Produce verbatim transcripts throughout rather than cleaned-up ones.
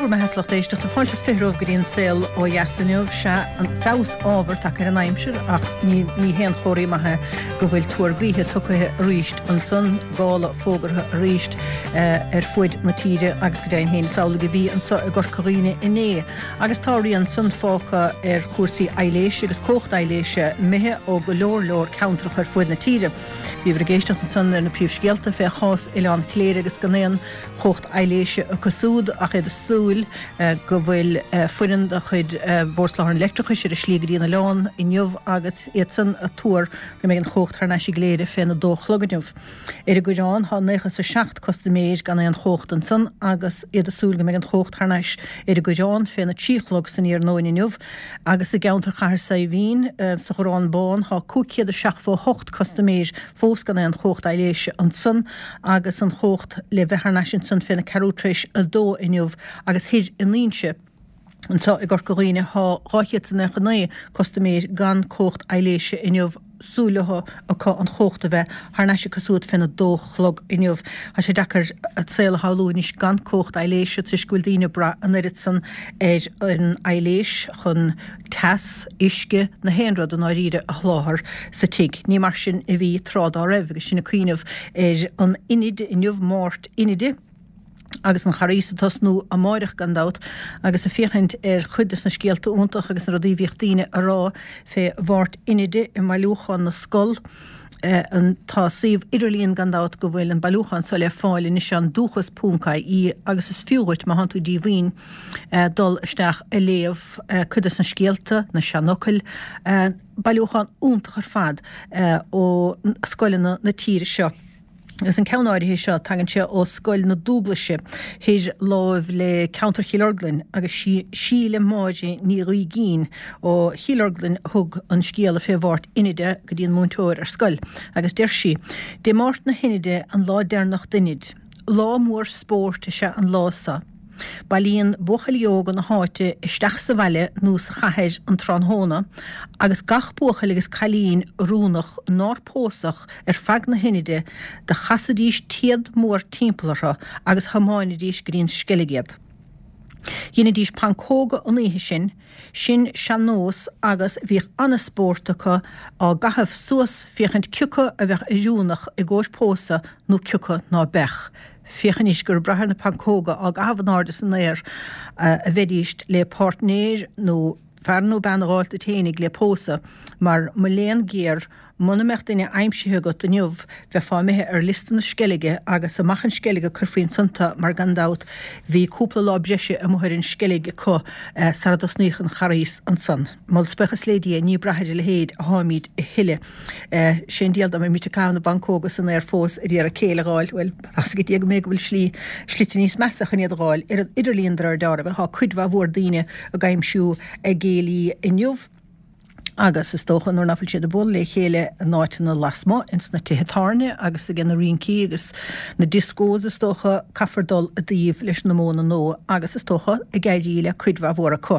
Go raibh maith agat a lucht éisteachta. Fáilte is fiche romhaibh go dtí an Saol Ó Dheas inniu. Sea, an feabhas ábhar tagtha ar an aimsir ach ní ní haon chomhartha maith é go bhfuil tuar gaoithe tugtha arís ansan, gála fógartha arís ar fuaid na tíre agus go deimhin féin is amhlaidh a bhí anso i gCorca Dhuibhne inné. Agus tá a rian san fágtha ar chúrsaí aibhléise agus cumhacht aibhléise imithe ó go leor leor ceantracha ar fuaid na tíre. Bhíobhair ag éisteacht ansan ar na príomhscéalta fé chás Oileán Chléire agus gan aon chumhacht aibhléise acu súd ach iad ag súil go bhfuil foireann de chuid Bhord Soláthair an Leictreachais ar a slí go dtí an oileán inniu agus iadsan ag tuar go mbeidh an chumhacht thar n-ais i gCléire féna dó a chlog inniu. Ar an gCoireán tá naocha is a seacht custaiméir gan aon chumhacht ansan agus iad ag súil go mbeidh an chumhacht thar n-ais ar an gCoireán féna trí a chlog san iarnóin inniu agus i gceantar Chathair Saidhbhín sa Ghorrán Bán tá cúig chéad is seachtó a hocht custaiméir fós gan aon chumhacht aibhléise ansan agus an chumhacht le bheith thar n-ais ansan féna ceathrú tar éis a dó inniu agus thoir in Inse anso i gCorca Dhuibhne thá dhá chéad 's a naocha naoi custaiméir gan cumhacht aibhléise inniu, súil leo acu an chumhacht a bheith thar n-ais acu súd féna dó chlog inniu. Tá sé deacair an saol a shamhlú anois gan cumhacht aibhléise toisc go bhfuil daoine ag brath an oiread san ar an aibhléis chun teas, uisce, na haon rud i ndáiríre a sholáthar sa tigh. Ní mar sin a bhí tráth dá raibh agus sinn ag cuimhneamh ar an Inid inniu, Máirt Inide, agus an Charghas ag tosnú amáireach gan dabht, agus ag féachaint ar chuid des na scéalta iontach agus na rudaí a bhíodh daoine a rá fé Mháirt Inide i mBailiúchán na Scol. Tá suíomh idirlíon gan dabht go bhfuil an bailiúchán seo le fáil anois ann, dúchas ponc ie, agus is fiú dhuit, má thánn tú díomhaoin, dul isteach a léamh cuid des na scéalta, na seanfhocail, bailiúchán iontach ar fad ó scoileanna na tíre seo. Agus an ceann áirithe seo, tagann sé ó Scoil na Dúglaise thoir láimh le ceantar Chill Orglan agus sí Síle Máire Ní Ghaoigín ó Chill Orglan a thug an scéala fé Mháirt Inide go dtí an múinteoir ar scoil agus deir sí, Dé Máirt na hInide an lá deireanach d'Inid. Lá mór spóirt is ea an lá so. Bailíonn buachaillí óga na háite isteach sa bhaile nó sa chathair an tráthnóna agus gach buachaill agus cailín oiriúnach nár pósadh ar feadh na hInide do chasaidís téad mór timpeall orthu agus thiomáinidís go dtí an Sceilg iad. Dheinidís pancóga an oíche sin, sin sean-nós agus bhíodh an-spórt acu á gcaitheamh suas féachaint cioca a bheadh oiriúnach i gcomhair pósadh nó cioca ná beadh. Féach anois gur ag brath ar na pancóga á gcaitheamh in airde san aer a bheidíst le páirtnéir nó fear nó bean a dh'fháilt duit fhéinig le pósadh, mar mo léan géar, muna mbeadh duine aimsithe agat inniu, bheifeá imithe ar liosta na Sceilge agus amach an Sceilg a cuirfí ansan tu mar gan dabht bhí cúpla lá breise amuigh ar an Sceilg acu sara dtosnaíodh an Charghas ansan. Moladh 's buíochas lé Dia ní ag brath ar a leithéid a tháimíd a thuilleadh. Sé an diabhal dá mbeimid ag caitheamh na bpancóga san aer fós ag iarraidh céile a dh'fháil, bhuel, tá's ag Dia go mb'fhéidir go bhfuil slí, slite níos measa chun iad a dh'fháil ar an idirlíon de réir dealraimh. Tá cuid mhaith mhór daoine ag aimsiú a gcéilí inniu. Agus is dócha nuair nach bhfuil siad ag bualadh le chéile in áiteanna lasmuigh, ins na tithe tábhairne agus aige na rincí agus na discos is dócha, caithfear dul i dtaobh leis na modhanna nua agus is dócha ag éirí le cuid mhaith mhór acu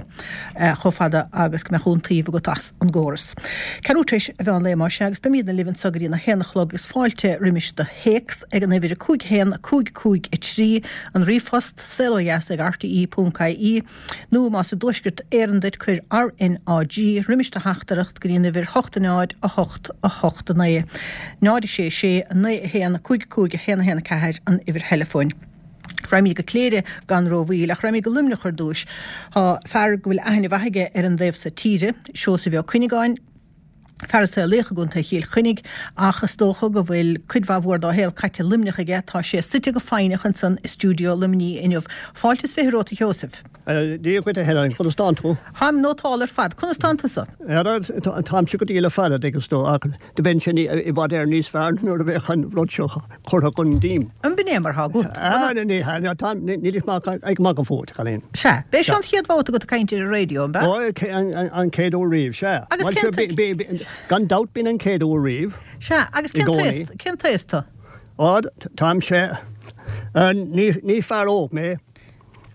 chomh fada agus go mbeadh iontaoibh agat as an gcóras. Ceathrú tar éis an mheán lae más ea agus beimídne libh anso go dtí na haon a chlog agus fáilte roimis do théacs ag an uimhir a cúig a haon, a cúig cúig a trí, an ríomhphost, saolodheas ag rte ponc ie. Nó más i dTuaisceart Éireann duit cuir RNAG roimis do theachtaireacht go dtí an uimhir hocht a náid a hocht a hocht a naoi náid a sé sé a naoi a haon cúig cúig a haon a haon a ceathair an uimhir theileafóin. Raghaimid go Cléire gan rómhoill ach raghaimid go Luimneach ar dtúis. Tá fear go bhfuil aithne mhaith aige ar an dtaobh so tíre, Seosamh Ó Cuinneagáin, Fear a saolaíodh i gContae Chill Chainnigh ach is dócha go bhfuil cuid mhaith mhór dá shaol caite i Luimneach aige. Tá sé suite go foighneach ansan i stiúideo Luimnigh inniu. Fáilte is fiche romhat a Sheosaimh. Dia dhuit a Helen, conas tánn tú? Táim nótálta ar fad. Conas tánn tusa? Táimse go diail ar fad, a dtuigeann tú, ach do bheinnse i bhfad Éireann níos fearr nuair a bheadh an rud seo curtha chun díom. An b'in é mar thá agat? Ah, ní hea, tá, níl ach ag magadh fút, a chailín. Sea. B'é seo an chéad bhabhta agat ag caint ar an raidió, an b'ea? Ó, an chéad uair riamh, sea. Agus cén t-. Gan dabht bíonn an chéad uair riamh. Sea, agus cén t-aos, cén t-aos tú? Á, táimse, ní fear óg mé.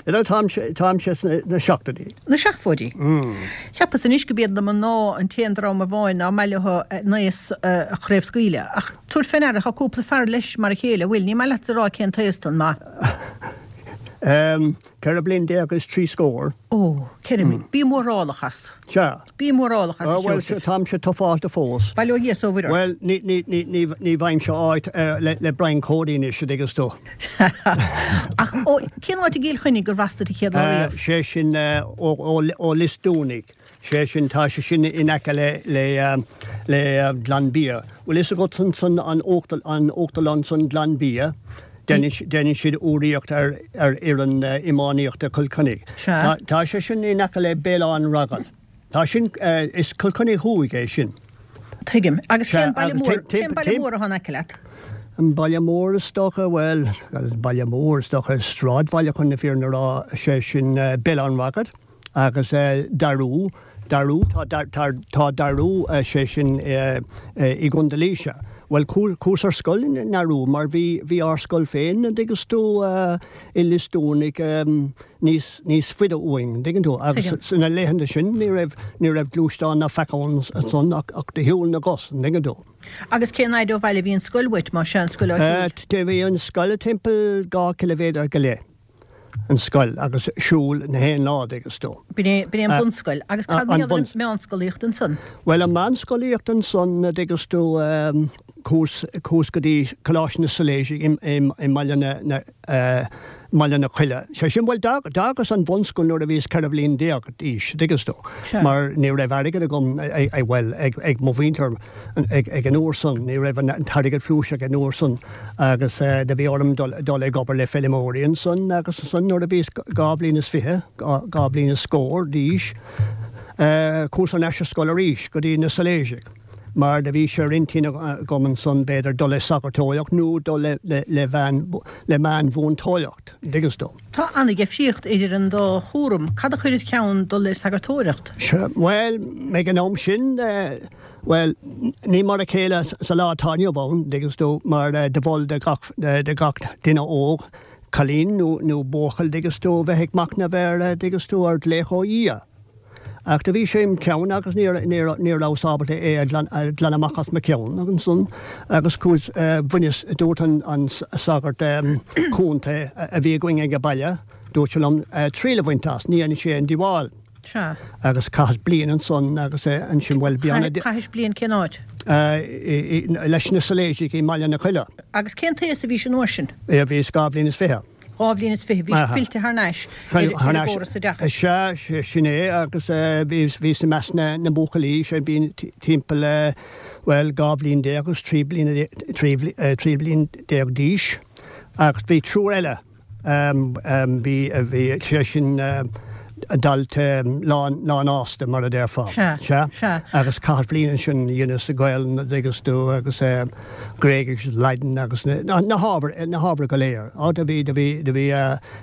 Táimse, táimse sna seachtóidí. Na seachtóidí? Cheapas anois go b'iad na mná an t-aon dream amháin ná maith leo a n-aos a chraobhscaoileadh. Ach tabhair fé ndeara, tá cúpla fear leis mar a chéile, an bhfuil? Ní maith leatsa a rá cén t-aos tú, an maith? Ceithre bliana déag is trí scór. Ó, ceithre mbliana. Bí mórálach as. Sea. Bí mórálach as, a Ó, bhuel, Sheosaimh. Táimse tufáilte fós. Bail ó Dhia is ó Mhuire ort. Bhuel, ní, ní, ní, ní, ní bhfaighimse áit le, le Brian Cody anois, a dtuigeanns tú. Ach, ó, cén áit i gCill Chainnigh gur bh'as duit an chéad lá riamh? Sé sin, ó, ó, ó Lios Dúnaigh. Sé sin, tá sé sin in aice le, le, le Glanbia. Bhfuil fhios agat ansan an an uachtarlann san Glanbia? Déanann siad urraíocht ar ar fhoireann iománaíochta Chill Chainnigh. Sea. Tá sé sin in aice le Béal Átha an Raghail. Tá sin, is Cill Chainnigh Thuaidh é sin. Tuigim. Agus cén baile mór, cén baile mór atá in aice leat? An baile mór is dócha, bhuel, baile mór is dócha, sráidbhaile chun na fírinne a rá, sé sin Béal Átha an Raghail. Agus Darú, Darú, tá, tá, tá Darú, sé sin i gContae Laoise. Bhuel, chuas ar scoil i nDarú mar bhí, bhí ár scoil féin, an dtuigeanns tú, i Lios Dúnaigh níos, níos faide uainn, an dtuigeann tú. Agus sna laethanta sin ní raibh, ní raibh gluaisteán ná faic ann ansan ach, ach de shiúl na gcos, an dtuigeann tú. Agus cén fhaid ó bhaile a bhí an scoil uait, más ea, an scoil áitiúil? Bhí an scoil timpeall dhá chiliméadar go leith. an scoil agus siúl na haon lá, dtuigeanns tú. B'in é, b'in é an bunscoil. Agus cad mar gheall ar an meánscolaíocht ansan? Bhuel, an meánscolaíocht ansan, dtuigeanns tú, chuas, chuas go dtí Coláiste na Sailéiseach i, i, i mBaile na, na, mBaile na Coille. Sé sin, bhuel, d'fhágas an bhunscoil nuair a bhíos ceithre bhliain déag d'aois, dtuigeanns tú, mar ní raibh airgead agam, bhuel, ag, ag mo mhuintir ag, ag an uair san, ní raibh an t-airgead flúirseach ag an uair san agus do bhí orm dul, dul ag obair le feilméaraí ansan agus ansan nuair a bhíos dhá bhliain is fiche, dhá bhliain is scór d'aois, chuas thar n-ais ar scoil arís go dtí na Sailéisigh. Mar do bhí sé ar intinn agam ansan b'fhéidir dul le sagartóireacht nó dul le le le meánmhúinteoireacht, an dtuigeanns tú. Tá an-dheifríocht idir an dá chúram. Cad a chuir id cheann dul le sagartóireacht? Sea, bhuel, ag an am sin, bhuel, ní mar a chéile sa lá atá inniu ann, an dtuigeanns tú, mar do mhol do gach do gach duine óg, cailín nó nó buachaill, an dtuigeanns tú, bheith ag machnamh ar, an dtuigeanns tú, ar ghlaoch ó Dhia. Ach do bhí sé im cheann agus ní ní rabhas ábalta é a ghlanadh amach as mo cheann ansan agus chuas, bhaineas, dúirt an an sagart contae a bhí againn ag baile, dúirt sé liom triail a bhaint as, ní dhéanfaidh sé aon díobháil. Sea. Agus chaitheas bliain ansan agus ansin, bhuel, bhí an. Chaithis bliain cén áit? Leis na Sailéisigh i mBaile na Coille. Agus cén t-aos a bhís an uair sin? Bhíos dhá bhliain is fiche. Dhá bhliain is fiche, bhís fillte thar n-ais ar an gcóras oideachais. Sea, sin é, agus bhíos i measc na mbuachaillí, sé bhí timpeall, bhuel, dhá bhliain déag agus trí bliana, trí bliana déag d'aois, agus bhí triúr eile, bhí, bhí, sé sin, dalta lánfhásta, mar a déarfá. Sea, Sea. sea. Agus chaitheas bliain ansin, dheineas Gaelainn, an dtuigeanns tú, agus Gréigis, Laidin agus na na hábhair, na hábhair go léir. Á, do bhí, do bhí, do bhí,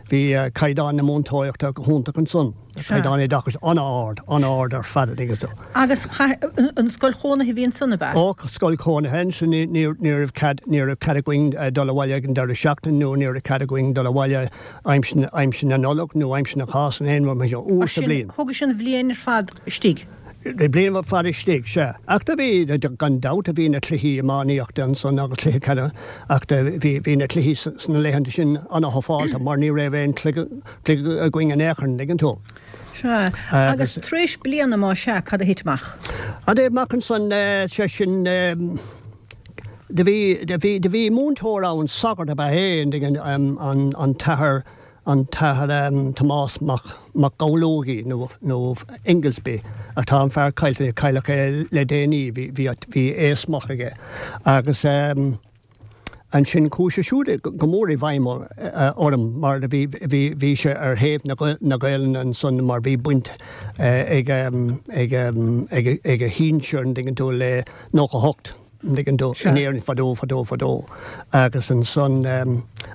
bhí caighdeán na múinteoireachta go hiontach ansan. Sea. Caighdeán oideachais an-ard, an-ard ar fad, an dtuigeanns tú. Agus chaith, an scoil chónaithe a bhí ansan, ab ea? Ó, scoil chónaithe ansin, ní, ní, ní raibh cead, ní raibh cead againn dul abhaile ag an deireadh seachtaine nó ní raibh cead againn dul abhaile aimsir na Nollag nó aimsir na Cásca nó aon rud mar sin, uair sa bhliain. Thógais an bhliain ar fad istigh? Bliain ar fad istigh, sea. Ach do bhí, gan dabht, bhí na cluichí iománaíochta ansan agus cluiche ceana ach do bhí, bhí na cluichí sna laethanta sin ana-thufálta mar ní raibh aon chluiche againn in aon chor, an dtuigeann tú. Sea. Agus tar éis bliana, más ea, cad a thit amach? A thit amach ansan, sé sin, Do bhí, do bhí, do bhí múinteoir ann, sagart ab ea é, an dtuigeann, an, an tAthair, an tAthair Tomás Mac, Mac Gabhlógaí nó, nó Ingoldsby, ach tá an fear caillte, cailleadh é le déanaí, bhí, bhí, bhí aos maith aige. Agus ansin chuaigh sé siúd go mór i bhfeidhm orm mar do bhí, bhí, bhí sé ar thaobh na, na Gaelainne ansan mar bhí baint ag, ag, ag, ag a shinsir, an dtuigeann tú, le nócha hocht. An dtuigeann tú, in Éirinn fadó, fadó, fadó. Agus ansan,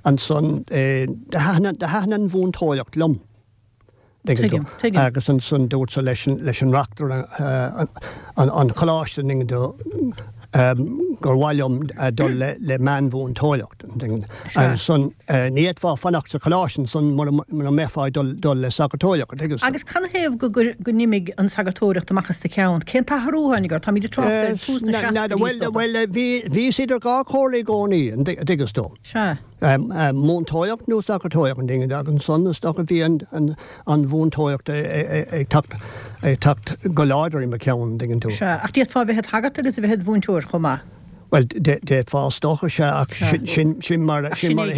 ansan, do thaitin, do thaitin an mhúinteoireacht liom. Tuigeann tú. Tuigim, tuigim. Agus ansan dúrtsa leis an, leis an reachtaire an, an choláiste, an dtuigeann tú, gur mhaith liom dul le, le meánmhúinteoireacht. Ansan ní fhéadfá fanacht sa choláiste ansan mura mbeifeá ag dul le sagartóireacht, an dtuigeann tú. Agus canathaobh go n-imigh an sagartóireacht amach as do cheann? Cén t-athrú a tháinig ort? Táimid ag trácht ar tús na seascaidí, is dócha. Bhuel, bhíos idir dhá chomhairle i gcónaí, an dtuigeann tú. Sea. Múinteoireacht nó sagartóireacht, an dtuigeann tú, agus ansan is dócha bhí an mhúinteoireacht ag teacht go láidir i mo cheann, an dtuigeann tú. Sea, ach d'fhéadfá a bheith id shagart agus a bheith id mhúinteoir chomh maith. Bhuel, d'fhéadfá is dócha, sea, ach sin mar a sin mar a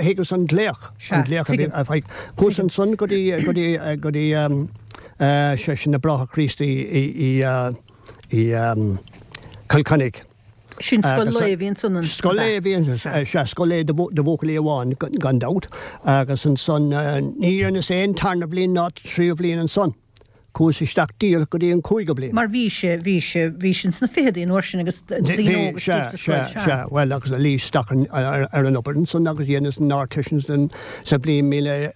thuigeas an glaoch, an glaoch a bhí, a bhí. Chuas ansan go dtí, go dtí, go dtí, sé sin na Bráithre Críostaí i, i, i Cill Chainnigh. Sin scoil lae a bhí ansan, an? Scoil lae a bhí ansan, sea, scoil lae do bhuachaillí amháin gan dabht, agus ansan ní dhearnas aon tarna bhliain ná tríú bhliain ansan. Chuas isteach díreach go dtí an cúigiú bliain. Mar bhí sé, bhí sé, bhí sé ins na ficheadaí an uair sin agus daoine óga istigh sa scoil, sea. Sea, bhuel agus luíos isteach ar an obair ansan agus dheineas an Ardteist sa bhliain míle,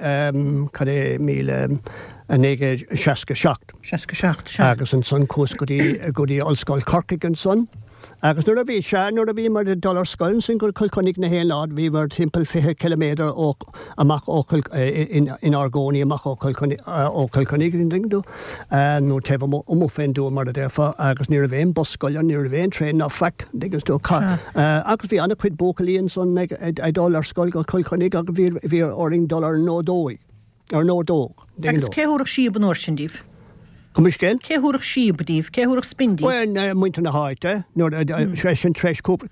cad é, míle naoi gcéad seasca seacht. Seasca seacht, sea. Agus ansan chuas go dtí, go dtí Ollscoil Chorcaigh ansan. Agus nuair a bhí, sea, nuair a bhíomar ag dul ar scoil ansin go Cill Chainnigh na haon lá, bhíomar timpeall fiche ciliméadar ó, amach ó Chill, inár gcónaí amach ó Chill Chainnigh, ó Chill Chainnigh, an dtuigeann tú, nó taobh amuigh, amuigh fén dtuath mar a déarfá, agus ní raibh aon bus scoile, ní raibh aon traein ná faic, an dtuigeann tú, agus bhí an-chuid buachaillí ansan ag, ag dul ar scoil go Cill Chainnigh agus bhí, bhí orainn dul ar an ordóig. Ar an ordóg. Agus cé thabharfadh síob an uair sin díbh? Gabh mo leithscéal? Cé thabharfadh síob díbh? Cé thabharfadh spin díbh? Bhuel, muintir na háite. Nuair, sé sin, tar éis cúpla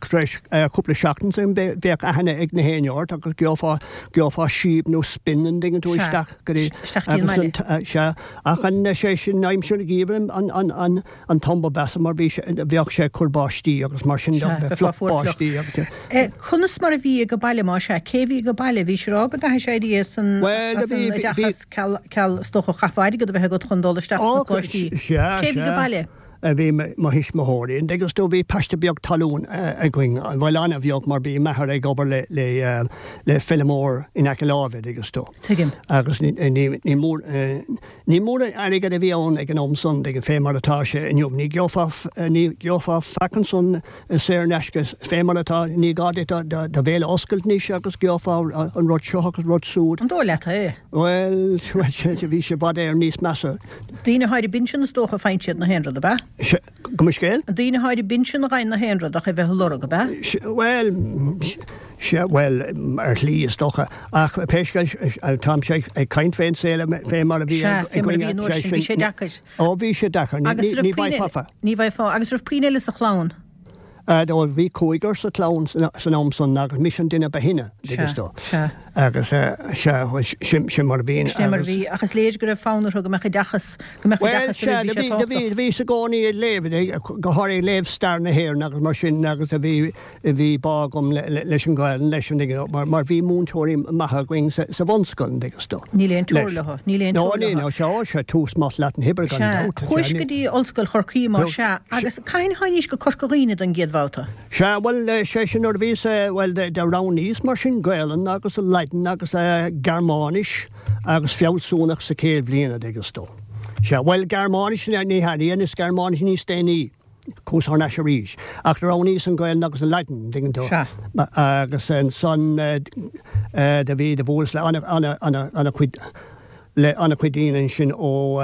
seachtain sin, bheadh aithne ag na héinne ort agus gheofá, gheofá síob nó spin, an dtuigeann tú, isteach go dtí. Isteach dtí an mbaile. Sea. Ach an, sé sin, aimsir an gheimhridh an, an, an, an t-am ba mheasa mar bhí sé, bheadh sé ag cur báistí agus mar sin de, bheadh fliuch báistí agus. Conas mar a bhí age baile más ea? Cé bhí age baile? Bhís ag rá go gcaithfidh sé éirí as an oideachas ceal, ceal is dócha chaithfeá airgead a bheith agat chun dul isteach sna coláistí. Cé bhí age baile? Bhí mo thuismitheoirí, an dtuigeann tú, bhí paiste beag talún againn, bhuel an-bheag mar bhí m'athair ag obair le, le, le feilmeoir in aice láimhe, an dtuigeann tú. Tuigim. Agus ní, ní, ní mór, Ní mór an airgead a bhí ann ag an am san, tuigeann, fé mar atá sé inniu. Ní gheofá, ní gheofá faic ansan saor in aisce fé mar atá, ní gá duit do bhéal a oscailt anois agus gheofá an rud seo agus rud súd. An dóigh leat é? Bhuel, bhí sé i bhfad Éireann níos measa. Daoine atá ar an bpinsean is dócha a faigheann siad na haon rud, ab ea? Gabh mo leithscéal? Daoine atá ar an bpinsean a fhaigheann na haon rud ach é bheith ag lorg, ab ea? Bhuel, Sea, bhuel, ar shlí, is dócha. Ach pé scéal, táimse ag caint fén saol fé mar a bhí Sea, fé mar a bhí an uair sin, bhí sé deacair. Ó, bhí sé deacair. Agus raibh puinn eile, ní bhfaighfeá, agus raibh puinn eile sa chlann? Ó, bhí cúigear sa chlann san am san agus mise an duine ba shine, Sea, sea. Agus, sea, bhuel, sin, sin mar a bhí. Sin mar a bhí, ach is léir go raibh fonn orthu go mbeadh oideachas, go mbeadh oideachas Bhuel, sea, bhí, bhí, bhíos i gcónaí ag léamh, go háirithe ag léamh stair na hÉireann agus mar sin agus a bhí, Bhí bá agam leis an Ghaelainn, leis an, mar, mar bhí múinteoirí maithe againn sa, sa bhunscoil, an dtuigeann tú. Níl aon teora leo, níl aon teora leo. No, ní, no, sea, sea, tús maith leat an hoibre gan dabht. Sea, chuais go dtí Ollscoil Chorcaí mar sea, agus cathain a tháinís go Corca Dhuibhne don gcéad bhabhta? Sea, bhuel, sé sin nuair a bhíos, bhuel, do roghnaíos mar sin Gaelainn agus Laidin agus Gearmáinis agus Fealsúnacht sa chéad bhliain, an dtuigeann tú. Sea, bhuel, Gearmáinis, ní hea, dheineas Gearmáinis níos déanaí. Chuas thar n-ais arís. Ach do roghnaíos an Ghaelainn agus an Laidin, an dtuigeann tú. Sea. Agus ansan do bhí, do bhuaileas le ana, ana, ana, ana chuid, le ana chuid daoine ansin ó,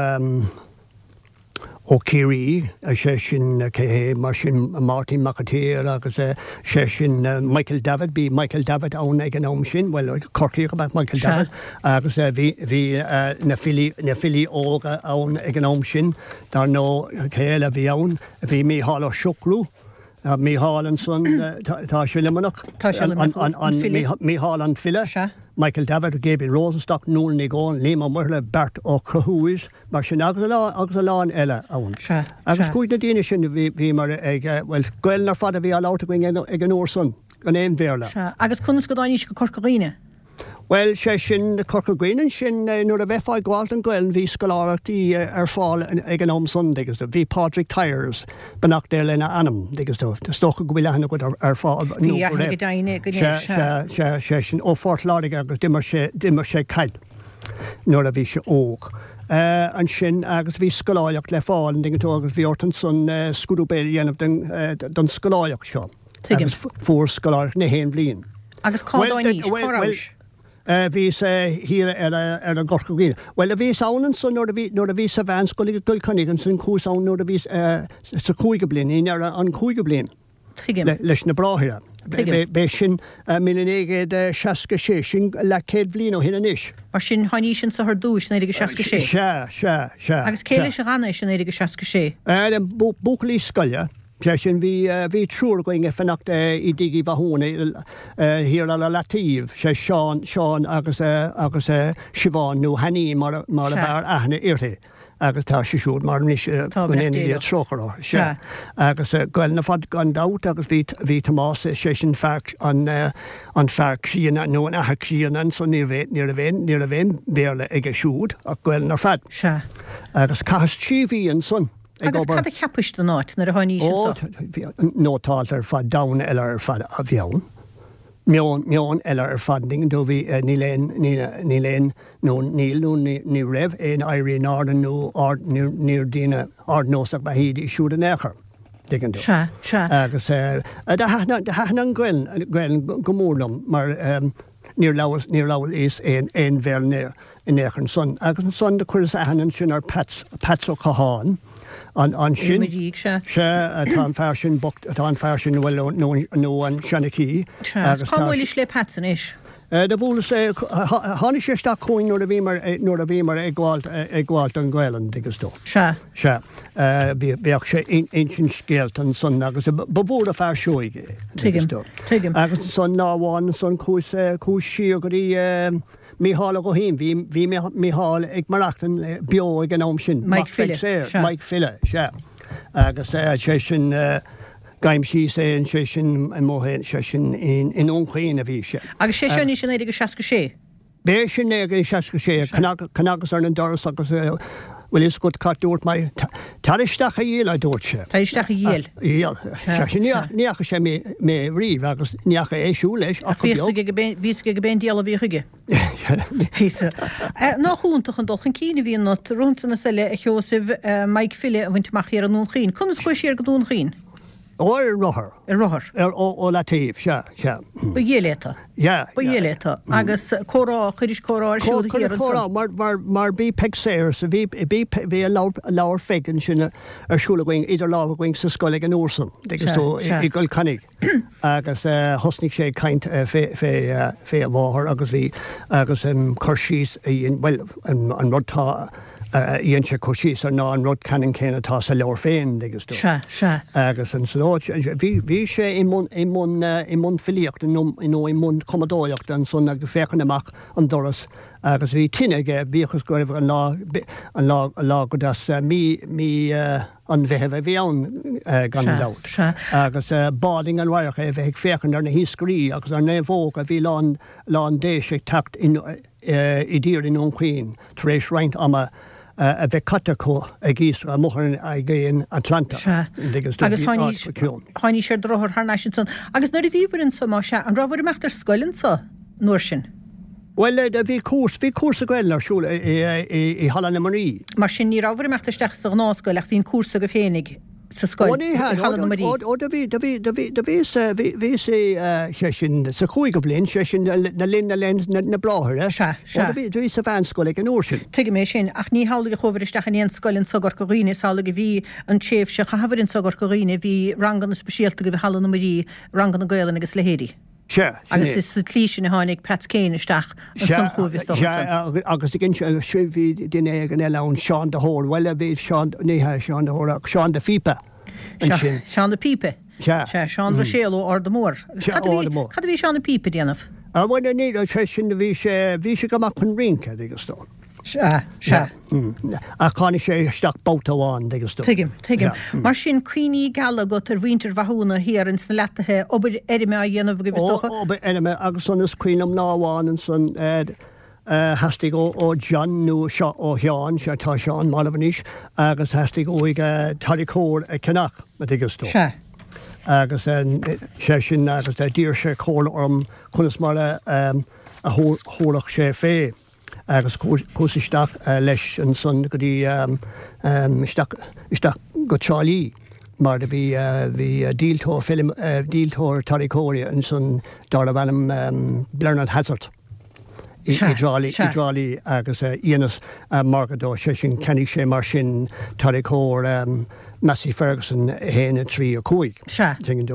ó Chiarraí, sé sin, cé hé, mar sin, Máirtín Mac an tSaoir agus sé sin Michael Davitt, bhí Michael Davitt ann ag an am sin, bhuel, Corcaíoch ab ea Michael Sea. Davitt agus bhí, bhí na filí, na filí óga ann ag an am sin. Dar ndóigh, cé eile a bhí ann? Bhí Mícheál Ó Siochrú, Mícheál ansan, tá sé i Luimneach. Tá sé i Luimneach, an file. Mícheál an file. Sea. Michael Davitt, Gabriel Rosenstock, Nuala Ní Dhomhnaill, Liam Ó Muirthile, Beart Ó Conchúir, mar sin, agus a lán eile ann. Sea, Agus sea. chuaigh na daoine sin, bhíomar ag, bhuel, Gaelainn ar fad a bhí á labhairt againn ag an uair san, gan aon Bhéarla. Sea. Agus conas go dtáinís go Corca Dhuibhne? Bhuel, sé sin, Corca Dhuibhne ansin, nuair a bheifeá ag gabháil don Ghaelainn, bhí scoláireachtaí ar fáil ag an am san, dtuigeann tú. Bhí Pádraig Tyers, beannacht Dé lena anam, dtuigeann tú. Is dócha go bhfuil aithne agat ar Phádraig, nó go raibh. Bhí aithne go deimhin go Sea, sea, sea, sé sin, ó Phort Láirge agus d'imir sé, d'imir sé caid nuair a bhí sé óg. Ansin, agus bhí scoláireacht le fáil, an dtuigeann tú, agus bhí ort ansan scrúdú béil a dhéanamh don, don scoláireacht seo. Tuigim. Agus fuair scoláireacht na haon bhliain. Agus cá dtáinís? Cá rabhais? Bhíos thiar ar ar i gCorca Dhuibhne. Bhuel, bhíos ann ansan nuair a bhí nuair a bhíos sa mheánscoil i gCill Chainnigh, ansin chuas ann nuair a bhíos sa chúigiú bliain, i ndeireadh an chúigiú bliain. Tuigim. Leis na Bráithre. Tuigim. B'é sin míle naoi gcéad seasca sé, sin leathchéad bhliain ó shin anois. Mar sin, tháinís anso ar dtúis, naoi déag seasca sé? Sea, sea, sea. Agus cé leis a dh'fhanaís i naoi déag seasca sé? Buachaillí scoile. Sé sin, bhí, bhí triúr againn ag fanacht i dtigh Uí Mhathúna thiar ar an Leataobh, sé Seán, Seán agus, agus Siobhán nó Hanní mar a, mar a b'fhearr aithne uirthi agus tá sí siúd marbh anois, Tá, go beannacht ndéana Dé Dia leo. trócaire uirthi. Sea. Sea. Agus Gaelainn ar fad gan dabht agus bhí, bhí Tomás, sé sin fear an, an fear críonna nó an athair críonna ansan, ní raibh, ní raibh aon, ní raibh aon Bhéarla aige siúd ach Gaelainn ar fad. Sea. Agus chaitheas trí mhí ansan. ag Agus obair. cad a cheapais den áit nuair a tháinís Ó, anso? bhí nótálta ar fad, domhan eile ar fad a bhí ann. Meon, meon eile ar fad, an dtuigeann tú, bhí, níl aon, níl, níl aon, nó níl, nó ní, ní raibh aon éirí in airde nó ard, níor, níor daoine ardnósach ba ea iad siúd in aon chor, dtuigeann tú. Sea, sea. Agus do thaitin, do thaitin an Ghaelainn, Gaelainn go mór liom mar níor labhair, níor labhraíos aon, aon Bhéarla in aon chor ansan. Agus ansan do chuireas aithne ansin ar Pats, Pats Ó Catháin. An, ansin. I mo dhiaidh, sea. Sea, tá an fear sin bocht, tá an fear sin, bhuel, nó, nó an seanchaí. Sea, agus cá mbuailis le Pats anois? Do bhuaileas é, tháinig sé isteach chugainn nuair a bhíomar, nuair a bhíomar ag gabháilt, ag gabháilt don Ghaelainn, an dtuigeann tú. Sea. Sea. Bhí, bhíodh sé ag insint scéalta ansan agus ba mhór an fear seoigh é, an dtuigeann Tuigim, tú. tuigim. Agus ansan lá amháin ansan chuas, chuas siar go dtí Mícheál Ó Guithín, bhí, bhí Mícheál ag maireachtaint beo ag an am sin, Mike mac Phil, Pheig Sayers, sea. Mike Phil, sea. Agus sé sin, Gabhaim síos é, sé sin amuigh, sé sin i nDún Chaoin a bhí sé. Agus sé seo anois i naoi déag seasca sé? B'é sin naoi déag seasca sé, cnagas ar an doras agus bhfuil fhios agat cad dúirt mé, tar isteach a dhiabhail a dúirt sé. Tar isteach a dhiabhail. A dhiabhail. Sé sin, ní fhaca sé mé riamh agus ní fhaca é siúd leis ach Ach bhí fhios aige bhí fhios aige gurb é an diabhal a bhí chuige. Bhí. Nach iontach an dul chun cinn a bhí ionat, romhatsa is eile, a Sheosaimh, Mike Phil a bhaint amach thiar i nDún Chaoin. Conas chuais siar go Dún Chaoin? Ó, ar rothar. Ar rothar? Ar, ó, ó Leataobh, sea, sea. Ba dhiail é tú. Yeah, Ba yeah. dhiail é tú. Agus comhrá, chuiris comhrá ar siúl thiar Cuireadh comhrá, ansan. mar, mar, mar bhí Peig Sayers, bhí, bhí, bhí an leabhar, leabhar Pheig ansin ar siúl againn, idir lámha againn sa scoil ag an uair san, agus Sea, tú i, sea. i gCill Chainnigh. Agus thosnaigh sé ag caint fé, fé, fé a mháthair agus bhí, agus cur síos a dhein, bhuel, an, an rud tá, a dhein sé cur síos air ná an rud ceannann céanna atá sa leabhar féin, dtuigeann tú. Sea, sea. Agus ansan, ó, bhí, bhí sé i mbun, i mbun, i mbun filíochta nó, nó i mbun cumadóireachta ansan agus féachaint amach an doras agus bhí tine aige, bíodh is go raibh an lá, an lá, an lá go deas, mí, mí an Mheithimh a bhí ann gan Sea, dabht. sea. Agus b'álainn an radharc é a bheith ag féachaint ar na hiascairí agus ar naomhóga a bhí lán, lán d'éisc ag teacht in, i dtír i nDún Chaoin tar éis roinnt ama a bheith caite acu ag iascach amuigh ar an Aigéan Atlantach. Sea. Agus Agus tháinís ar do rothar thar n-ais ansan. Agus nuair a bhíobhair anso, más ea, an rabhabhair ag imeacht ar scoil anso an uair sin? Bhuel, bhí cúrsa, bhí cúrsa Gaelainne ar siúl i Halla na Muirí. Mar sin ní rabhabhair ag imeacht isteach sa ghnáthscoil ach bhí an cúrsa agaibh féinig. sa scoil, Ó ní hea, i Halla na Muirí. ó do bhí, do bhí, do bhí, do bhí sa, bhí, bhí sa, sé sin, sa chúigiú bliain, sé sin le linn na linn na, na Bráithre. Sea, sea. Ó do bhí, do bhí sa mheánscoil ag an uair sin. Tuigim é sin, ach ní hamhlaidh a chuabhair isteach in aon scoil anso i gCorca Dhuibhne, is amhlaidh a bhí an tréimhse a chaitheabhair anso i gCorca Dhuibhne, bhí ranganna speisialta agaibh i Halla na Muirí, ranganna Gaelainne agus leithéidí. Sea, sin Agus é. is sa tslí sin a tháinig Peats Kane isteach ansan chugaibh is dócha Sea, ansan. agus ag inse, sea, bhí duine éigin eile ann, Seán de hÓr, bhuel, bhí Seán, ní hea Seán de hÓr ach Seán de Phíopa ansin. Seán de Phíopa. Sea. Sea, Seán Ruiséal ó Ard Mór. Agus Sea, cad a bhí, Ard Mór. cad a bhí Seán de Phíopa ag déanamh? Ah, bhuel, ní, sé sin, bhí sé, bhí sé go maith chun rince, dtuigeann tú. Sea, sea. Ach tháinig sé isteach babhta amháin, dtuigeann tú. Tuigim, tuigim. Mar sin, cuimhní geala agat ar mhuintir Mhathúna thiar ins na Leataithe, obair fheirme á dhéanamh agaibh is dócha? Ó, obair fheirme agus ansan is cuimhin liom lá amháin ansan theastaigh ó John nó ó Sheán, sea tá Seán marbh anois, agus theastaigh uaidh tarracóir a cheannach, a dtuigeann tú. Sea. Agus sé sin agus d'iarr sé comhairle orm conas mar a thabharfadh sé fé. Agus chuas isteach leis ansan go dtí isteach isteach go Trá Lí Mar do bhí bhí díoltóir film díoltóir tarracóirí ansan darbh ainm Bernard Hazard. I dTrá Lí i dTrá Lí agus dheineas margadh dó, sé sin cheannaigh sé mar sin tarracóir Massey Ferguson a haon, a trí, a cúig.